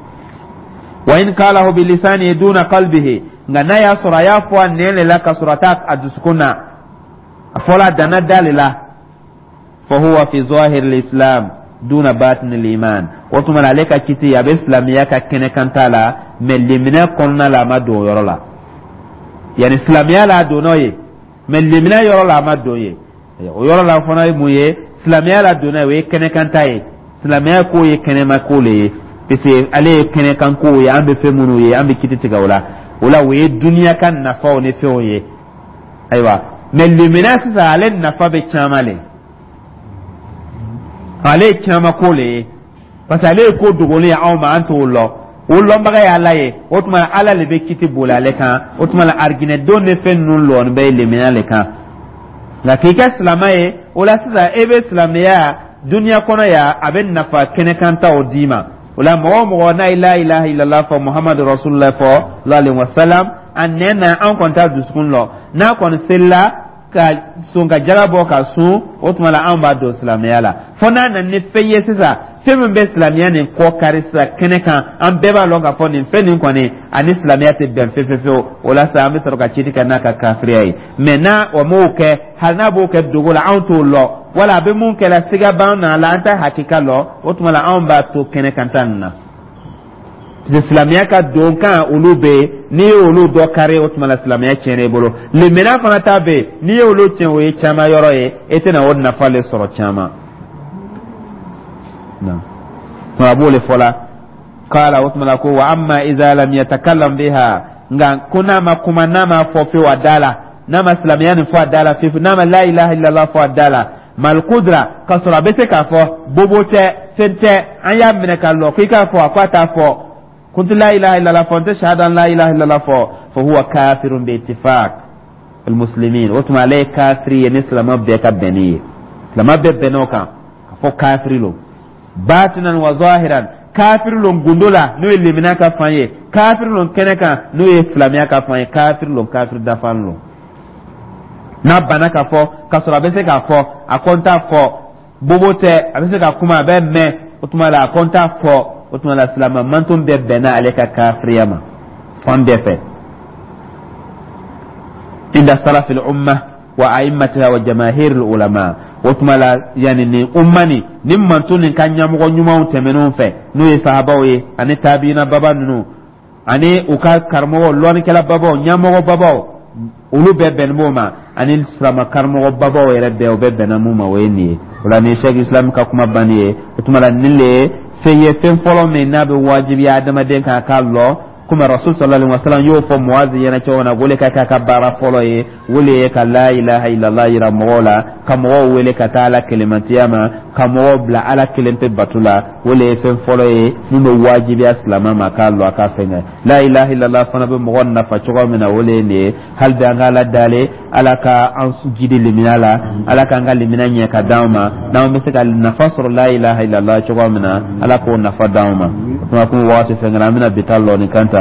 Wa in qalahu bi lisanihi duna qalbihi, nka n'a y'a sɔrɔ a y'a fɔ a nɛn le la ka sɔrɔ a t'a a dusukun na, a fɔla a danna da le la, fa huwa fi zahir al-islam duna batin al-iman, o tuma la ale ka kiti a bɛ silamɛya ka kɛnɛ kan t'a la, mɛ limina kɔnɔna la a ma don o yɔrɔ la. Yani silamɛya la a donn'o ye, mɛ limina yɔrɔ la a ma don ye o yɔrɔ la. Fana ye mun ye? Silamɛya la donna ye, o ye kɛnɛkanta ye. Silamɛya ko ye kɛnɛma ko le ye, parce que ale ye kɛnɛkan ko ye, an bɛ fɛn minnu ye, an bɛ kiti tigɛ o la. O la, o ye duniya ka nafaw ni fɛnw ye. Ayiwa, mɛ limina sisan, ale nafa bɛ caman le, ale ye caman ko le ye, parce que ale ye ko dogolen ye anw ma, an t'o lɔn, o lɔnbaga ye Ala ye. O tuma Ala le bɛ kiti boli ale kan. O tuma la, arijinɛdenw ni fɛn ninnu lɔɔni bɛ limina le kan. Nka k'i kɛ silamɛ ye, o la sisan e bɛ silamɛya Duniya kɔnɔ yan, a bɛ nafa kɛnɛkantaw d'i ma. O la, mɔgɔ o mɔgɔ n'a ye la ilaha illallah fɔ, Muhammadu rasulullah fɔ, sallallahu alaihi wasallam, a nɛn na, an kɔni t'a dusukun lɔ, n'a kɔni selila ka sun, ka jaga bɔ, ka sun, o tuma la anw b'a don silamɛya la. Fo n'a nana ni fɛn ye sisan, fɛn min bɛ silamɛya nin kɔ kari sisan kɛnɛ kan, an bɛɛ b'a lɔn k'a fɔ nin fɛn nin kɔni ani silamɛya tɛ bɛn fefefewu. O la sa, an bɛ sɔrɔ ka citi kɛ n'a ka kafiriya ye. Mɛ n'a o m'o kɛ, hali n'a b'o kɛ dogo la, anw t'o lɔ, wala a bɛ mun kɛ la, siga b'an na la, an t'a hakika lɔ, o tuma la anw b'a to kɛnɛ kan ta nin na. Silamɛya ka don kan olu bɛ yen, n'i ye olu dɔ kari, o tuma la silamɛya tiɲɛna i bolo. Limaniya fana ta bɛ yen, n'i ye olu tiɲɛ, o ye caman yɔrɔ ye, e tɛna o nafa le sɔrɔ caman. A b'o le fɔ la kala. O tuma la ko wa amma iza lam yatakallam biha, nka ko n'a ma kuma, n'a ma fɔ fewu a da la, n'a ma silamɛya nin fɔ a da la fewu, n'a ma la ilaha illallah fɔ a da la, mal kudra, k'a sɔrɔ a bɛ se k'a fɔ, bobo tɛ, fɛn tɛ, an y'a minɛ ka lɔ k'i k'a fɔ, a ko a t'a fɔ, kuntu la ilaha illallah fɔ, n tɛ shahada la ilaha illallah fɔ, fa huwa kafirun bi ittifaq almuslimin. O tuma ale ye kafiri ye ni silamɛ bɛɛ ka bɛnni ye, silamɛ bɛɛ bɛnna o kan ka fɔ kafiri lo, batinan wa zahiran. Kafiri lo gundo la, n'o ye limina ka fan ye, kafiri lo kɛnɛ kan, n'o ye silamɛya ka fan ye, kafiri lo, kafiri dafan lo. N'a banna ka fɔ k'a sɔrɔ a bɛ se k'a fɔ, a ko n t'a fɔ, bobo tɛ, a bɛ se ka kuma, a bɛ mɛn, o tuma la a ko n t'a fɔ, o tuma la silamɛ manton bɛɛ bɛnna ale ka kafiriya ma fan bɛɛ fɛ, inda salafil umma wa a'immatiha wa jamahiril ulama. O tuma la, yani nin umma nin nin manton nin ka ɲɛmɔgɔ ɲumanw tɛmɛnenw fɛ, n'o ye sahabaw ye ani tabiina baba ninnu ani u ka karamɔgɔ lɔnnikɛla babaw, ɲɛmɔgɔ babaw, olu bɛɛ bɛnnen b'o ma, ani silama karamɔgɔ babaw yɛrɛ bɛɛ, o bɛɛ bɛnna mun ma, o ye nin ye. O la, nin Sɛki Islam ka kuma banni ye. O tuma la, nin le ye fɛn ye, fɛn fɔlɔ min n'a bɛ wajibiya adamaden kan k'a lɔ, komi Rasul sallallahu alaihi wasallam y'o fɔ Muazi ɲɛna cogo min na, o le ka k'a ka baara fɔlɔ ye, o le ye ka la ilaha illallah yira mɔgɔw la, ka mɔgɔw wele ka taa Ala kelenmatiya ma, ka mɔgɔw bila Ala kelen pe bato la. O le ye fɛn fɔlɔ ye min bɛ wajibiya silamɛ ma k'a lɔ, a k'a fɛn kɛ. La ilaha illallah fana bɛ mɔgɔ nafa cogo min na, o le ye nin ye. Hali bi an ka Ala dali, Ala ka an jidi limina la, Ala k'an ka limina ɲɛ ka d'anw ma, n'anw bɛ se ka nafa sɔrɔ la ilaha illallah cogo min na, Ala k'o nafa d'anw ma. O tuma komi wagati fɛn kɛra, an bɛna bi ta lɔ nin kan ta.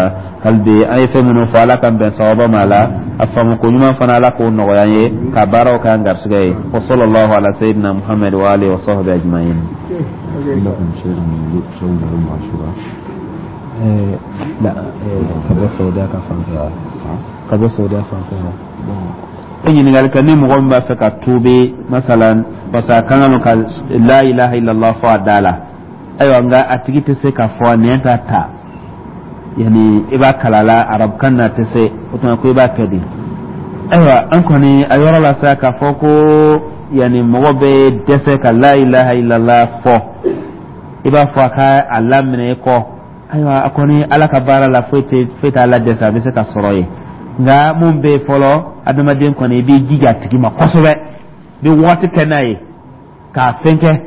Hali bi an ye fɛn minnu fɔ, Ala k'an bɛn sababa ma la, a faamu ko ɲuman fana, Ala k'o nɔgɔya an ye, ka baaraw k'an garisɛgɛ ye. Wa sallallahu ala sayyidina Muhammad wa alihi wa sahbihi ajma'in. عندكم شيء صوم يوم عاشوراء؟ La, ka bɔ Saudiya ka fan fɛ, ka bɔ Saudiya fan fɛ. Ɲininkali kɛ ni mɔgɔ min b'a fɛ ka tuubi masalan, parce que a kan ka la ilaha illallah fɔ a da la, ayiwa, nka a tigi tɛ se k'a fɔ, a nɛn t'a ta, yani i b'a kala la arabukan na, tɛ se, o tuma ko i b'a kɛ di? Ayiwa, an kɔni a yɔrɔ la sa, k'a fɔ ko yani mɔgɔ bɛ dɛsɛ ka la ilaha illallah fɔ, i b'a fɔ a ka a laminɛ i kɔ. Ayiwa, a kɔni Ala ka baara la, foyi tɛ foyi t'a la dɛsɛ, a bɛ se ka sɔrɔ yen. Nka mun bɛ yen fɔlɔ, adamaden kɔni, i b'i jija a tigi ma kosɛbɛ, i bɛ waati kɛ n'a ye k'a fɛn kɛ,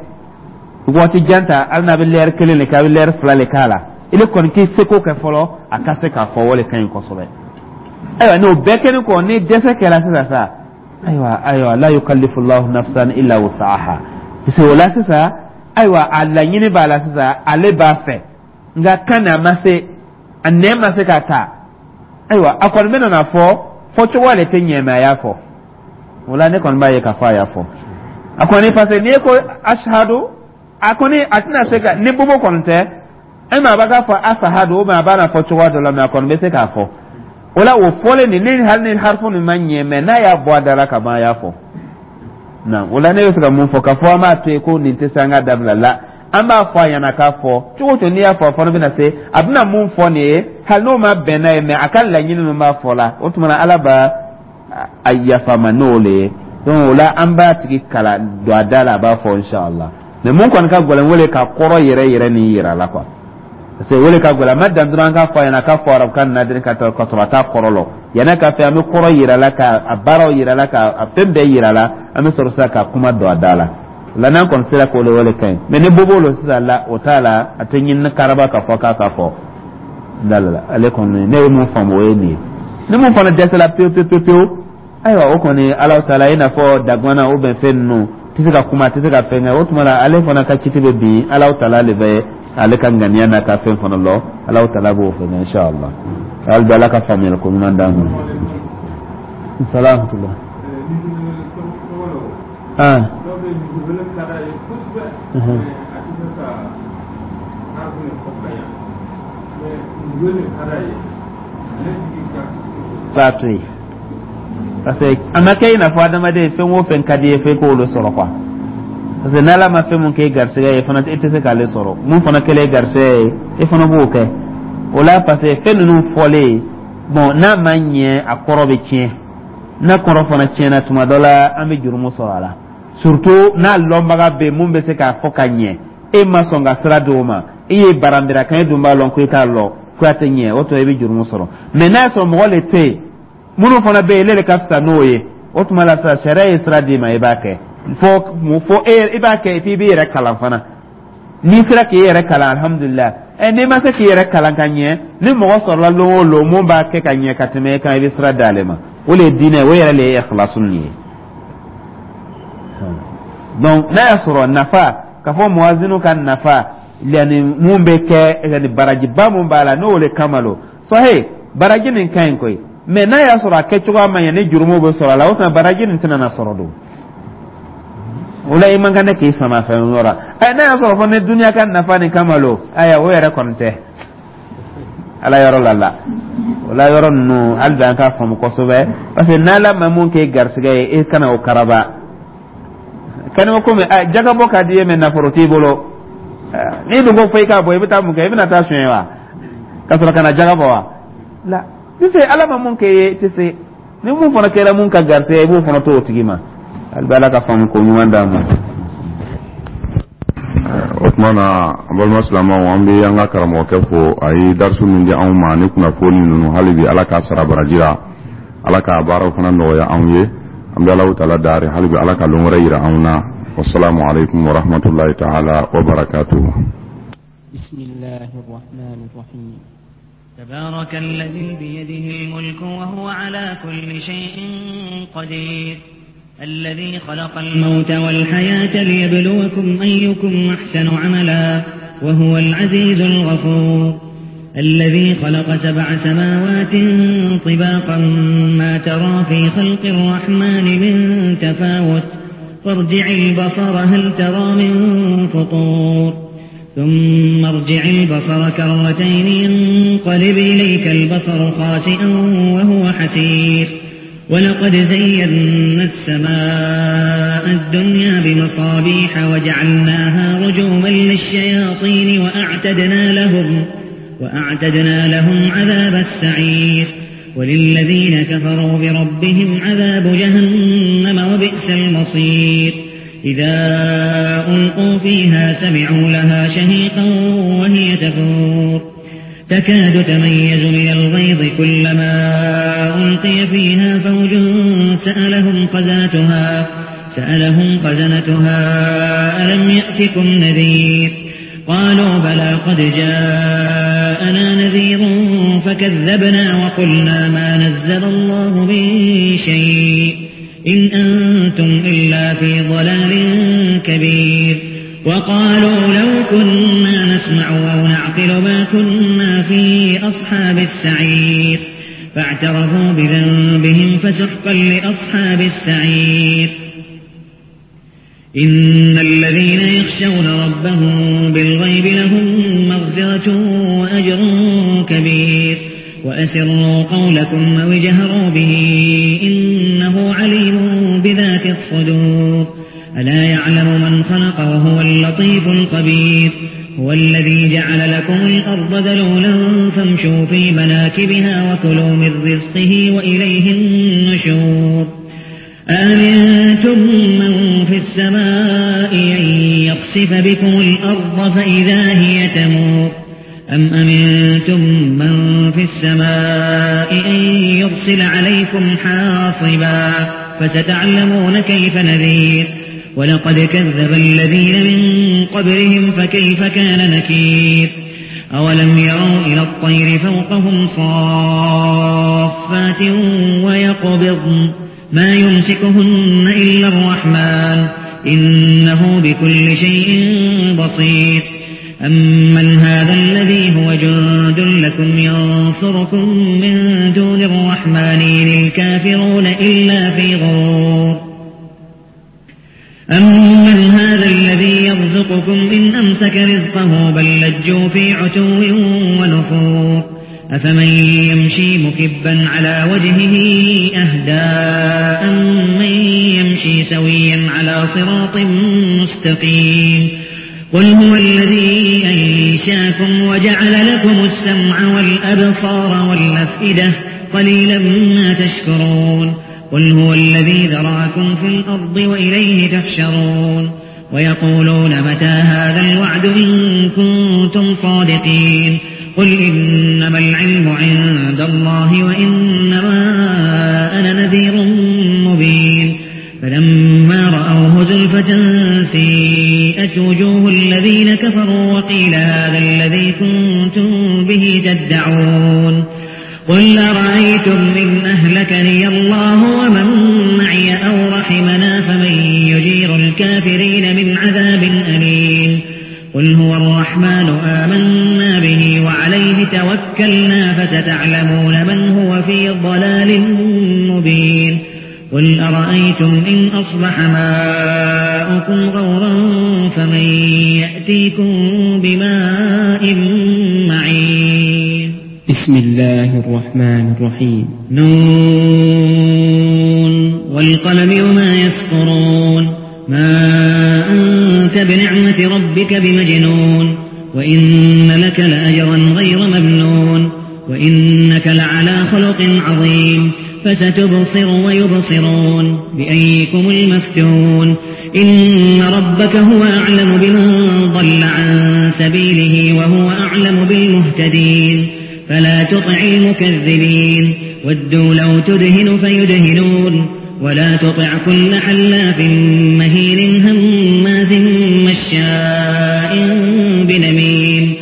waati jan ta, hali n'a bɛ lɛri kelen de kɛ, a bɛ lɛri fila de k'a la, i kɔni k'i seko kɛ fɔlɔ a ka se k'a fɔ, o de ka ɲi kosɛbɛ. Ayiwa, n'o bɛɛ kɛlen kɔ, ni dɛsɛ kɛra sisan sa, ayiwa ayiwa, la yukallifu Allahu nafsan illa wus'aha, parce que o la sisan, ayiwa, a laɲini b'a la sisan, ale b'a fɛ, nka kan na ma se, a nɛn ma se k'a ta. Ayiwa, a kɔni bɛ na fɔ fɔcogo de tɛ ɲɛ, mɛ a y'a fɔ. O la, ne kɔni b'a ye k'a fɔ a y'a fɔ a kɔni, parce que n'i ko ashadu, a kɔni a tɛna se ka ni bobo kɔni tɛ e ma, a b'a fɔ asahadu, ou bien a b'a na fɔ cogoya dɔ la, mɛ a kɔni bɛ se k'a fɔ. O la, o fɔlen nin, ni hali ni harifu nin ma ɲɛ, mɛ n'a y'a bɔ a da la ka ban, a y'a fɔ na. O la, ne bɛ fɛ ka mun fɔ? K'a fɔ an b'a to yen ko nin tɛ se, an ka dabila la, an b'a fɔ a ɲɛna k'a fɔ cogo o cogo, n'i y'a fɔ, a fana bɛna se, a bɛna mun fɔ nin ye, hali n'o ma bɛn n'a ye, mɛ a ka laɲini min b'a fɔ la, o tuma na Ala b'a a yafa ma n'o le ye. Donc o la, an b'a tigi kala don a da la, a b'a fɔ inshallah. Mɛ mun kɔni ka gɛlɛn, o le ka kɔrɔ yɛrɛ yɛrɛ nin yira la quoi, parce que o le ka gɛlɛn. A ma dan dɔrɔn an k'a fɔ a ɲɛna k'a fɔ arabukan na dɔrɔn ka ka sɔrɔ a t'a kɔrɔ lɔ. Yanni k'a fɛ, an bɛ kɔrɔ yira la, ka a baaraw yira la, ka a fɛn bɛɛ yira la, an bɛ sɔrɔ sisan ka kuma don a da la. O la, n'an kɔni sera k'o le, o le ka ɲi. Mɛ ni bobo lo sisan la, o t'a la, a tɛ ɲini karaba k'a fɔ k'a ka fɔ da la. Ale kɔni, ne ye mun faamu, o ye nin ye. Ni mun fana dɛsɛla pewu pewu pewu pewu, ayiwa, o kɔni Ala taala, i n'a fɔ dagwana ou bien fɛn ninnu. Tɛ se ka kuma, a tɛ se ka fɛn kɛ. O tuma la, ale fana ka kiti bɛ bin. Alahu Taala de bɛ ale ka ŋaniya n'a ka fɛn fana lɔ. Alahu Taala b'o fɛn kɛ, inshallah. Hali bi, Ala ka faamuyali ko ɲuman d'an ma. Salaamutula. Ah. Dɔw bɛ yen, ka d'a ye kosɛbɛ, a tɛ se ka n'a bɛna fɔ ka ɲa, mais wele ka d'a ye ale tigi ka B'a to yen, parce que a ma kɛ i n'a fɔ adamaden, fɛn o fɛn ka di i ye, f'e k'olu sɔrɔ quoi. Parce que n'Ala ma fɛn mun kɛ garisɛgɛ ye fana, e tɛ se k'ale sɔrɔ. Mun fana kɛlen garisɛgɛ ye, e fana b'o kɛ o la, parce que fɛn ninnu fɔlen, bon, n'a ma ɲɛ, a kɔrɔ bɛ tiɲɛ. N'a kɔrɔ fana tiɲɛna, tuma dɔ la an bɛ jurumu sɔrɔ a la, surtout n'a lɔnbaga bɛ yen mun bɛ se k'a fɔ ka ɲɛ. E ma sɔn ka sira di o ma, e ye baranbira kan, e dun b'a lɔn ko e t'a lɔn ko a tɛ ɲɛ, o tuma i bɛ jurumu sɔrɔ. Mais n'a y'a sɔrɔ mɔgɔ le tɛ yen, minnu fana bɛ yen, ne de ka fisa n'o ye, o tuma la sisan sariya ye sira d'i ma, i b'a kɛ. Fo fo e i b'a kɛ, et puis i b'i yɛrɛ kalan fana. N'i sera k'i yɛrɛ kalan, alhamdulilah. Ɛ, n'i ma se k'i yɛrɛ kalan ka ɲɛ, ni mɔgɔ sɔrɔla lon o lon mun b'a kɛ ka ɲɛ ka tɛmɛ e kan, i bɛ sira d'ale ma. O de ye diinɛ, o yɛrɛ de ye ikhlasu nin ye. Donc n'a y'a sɔrɔ nafa k'a fɔ muwazinu ka nafa, yani mun bɛ kɛ, yani barajiba mun b'a la, n'o de kama lo, sahi baraji nin ka ɲi koyi. Mais n'a y'a sɔrɔ a kɛcogoya ma ɲɛ, ni jurumu bɛ sɔrɔ a la, o tuma baraji nin tɛna na sɔrɔ don o la. I man kan ne k'i sama fɛn yɔrɔ. Ɛ, n'a y'a sɔrɔ fɔ ni duniya ka nafa nin kama lo, ayiwa, o yɛrɛ kɔni tɛ Ala yɔrɔ la la o la. Yɔrɔ ninnu, hali bi an k'a faamu kosɛbɛ, parce que n'Ala ma mun k'e garisɛgɛ ye, e kana o karaba kanima. Komi jagabɔ ka di ye, mais nafolo t'i bolo. N'i dun ko fo i k'a bɔ, i bɛ taa mun kɛ? I bɛna taa suɲɛ wa, ka sɔrɔ ka na jaga bɔ wa? La tɛ se. Ala ma mun kɛ ye, tɛ se. Ni mun fana kɛra mun ka garisɛgɛ, i b'o fana to o tigi ma. Hali bi, Ala ka faamu ko ɲuman d'an ma. O tuma na, an balima silamɛw, an bɛ an ka karamɔgɔkɛ fo. A ye darisu min di anw ma ni kunnafoni ninnu, hali bi Ala k'a sara baraji la, Ala k'a baaraw fana nɔgɔya anw ye. An bɛ Alahu Taala dari, hali bi Ala ka lon wɛrɛ yira anw na. Wasalamu aleykum wa rahmatulahi taala wa barakatuhu. بسم الله الرحمن الرحيم. تبارك الذي بيده الملك وهو على كل شيء قدير، الذي خلق الموت والحياة ليبلوكم أيكم أحسن عملا، وهو العزيز الغفور. الذي خلق سبع سماوات طباقا، ما ترى في خلق الرحمن من تفاوت، فارجع البصر هل ترى من فطور. ثم ارجع البصر كرتين ينقلب إليك البصر خاسئا وهو حسير. ولقد زينا السماء الدنيا بمصابيح وجعلناها رجوما للشياطين وأعتدنا لهم, وأعتدنا لهم عذاب السعير. وللذين كفروا بربهم عذاب جهنم وبئس المصير. إذا ألقوا فيها سمعوا لها شهيقا وهي تفور، تكاد تميز من الغيظ، كلما ألقي فيها فوج سألهم خزنتها سألهم خزنتها ألم يأتكم نذير؟ قالوا بلى قد جاءنا نذير فكذبنا وقلنا ما نزل الله من شيء إن أنتم إلا في ضلال كبير. وقالوا لو كنا نسمع أو نعقل ما كنا في أصحاب السعير. فاعترفوا بذنبهم فسحقا لأصحاب السعير. إن الذين يخشون ربهم بالغيب لهم مغفرة وأجر كبير. وأسروا قولكم أو اجهروا به إنه عليم بذات الصدور. ألا يعلم من خلق وهو اللطيف الخبير؟ هو الذي جعل لكم الأرض ذلولا فامشوا في مناكبها وكلوا من رزقه وإليه النشور. أأمنتم من في السماء أن يخسف بكم الأرض فإذا هي تمور؟ أم أمنتم من في السماء أن يرسل عليكم حاصبا فستعلمون كيف نذير؟ ولقد كذب الذين من قبلهم فكيف كان نكير؟ أولم يروا إلى الطير فوقهم صافات ويقبضن ما يمسكهن إلا الرحمن. إنه بكل شيء بصير. أمن هذا الذي هو جند لكم ينصركم من دون الرحمن إن الكافرون إلا في غرور. أمن هذا الذي يرزقكم إن أمسك رزقه بل لجوا في عتو ونفور. أفمن يمشي مكبا على وجهه أهدى أمن يمشي سويا على صراط مستقيم. قل هو الذي أنشاكم وجعل لكم السمع والأبصار والأفئدة قليلا ما تشكرون. قل هو الذي ذرأكم في الأرض وإليه تحشرون. ويقولون متى هذا الوعد إن كنتم صادقين. قل إنما العلم عند الله وإنما أنا نذير مبين. فلما رأوه زلفة سيئت وجوه الذين كفروا وقيل هذا الذي كنتم به تدعون. قل أرأيتم إن أهلكني الله ومن معي أو رحمنا فمن يجير الكافرين من عذاب أليم. قل هو الرحمن آمنا به وعليه توكلنا فستعلمون من هو في ضلال مبين. قل أرأيتم إن أصبح ماؤكم غورا فمن يأتيكم بماء معين. بسم الله الرحمن الرحيم. نون والقلم وما يسطرون. ما أنت بنعمة ربك بمجنون. وإن لك لأجرا غير ممنون. وإنك لعلى خلق عظيم. فستبصر ويبصرون بأيكم المفتون. إن ربك هو أعلم بمن ضل عن سبيله وهو أعلم بالمهتدين. فلا تطع المكذبين. ودوا لو تدهن فيدهنون. ولا تطع كل حلاف مهين هماز مشاء بنميم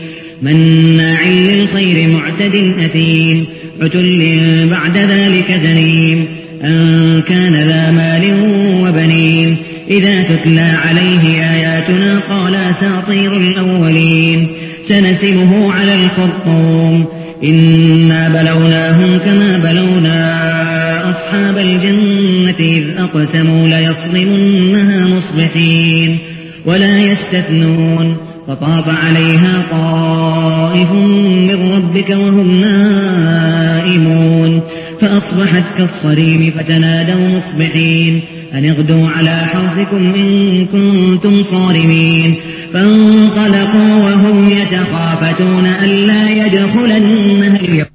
مناع للخير معتد أثيم عتل بعد ذلك زنيم أن كان ذا مال وبنين. إذا تتلى عليه آياتنا قال أساطير الأولين. سنسمه على الخرطوم. إنا بلوناهم كما بلونا أصحاب الجنة إذ أقسموا ليصرمنها مصبحين ولا يستثنون. فطاف عليها طائف من ربك وهم نائمون. فأصبحت كالصريم فتنادوا مصبحين أن اغدوا على حرثكم إن كنتم صارمين. فانطلقوا وهم يتخافتون ألا يدخلنها اليوم.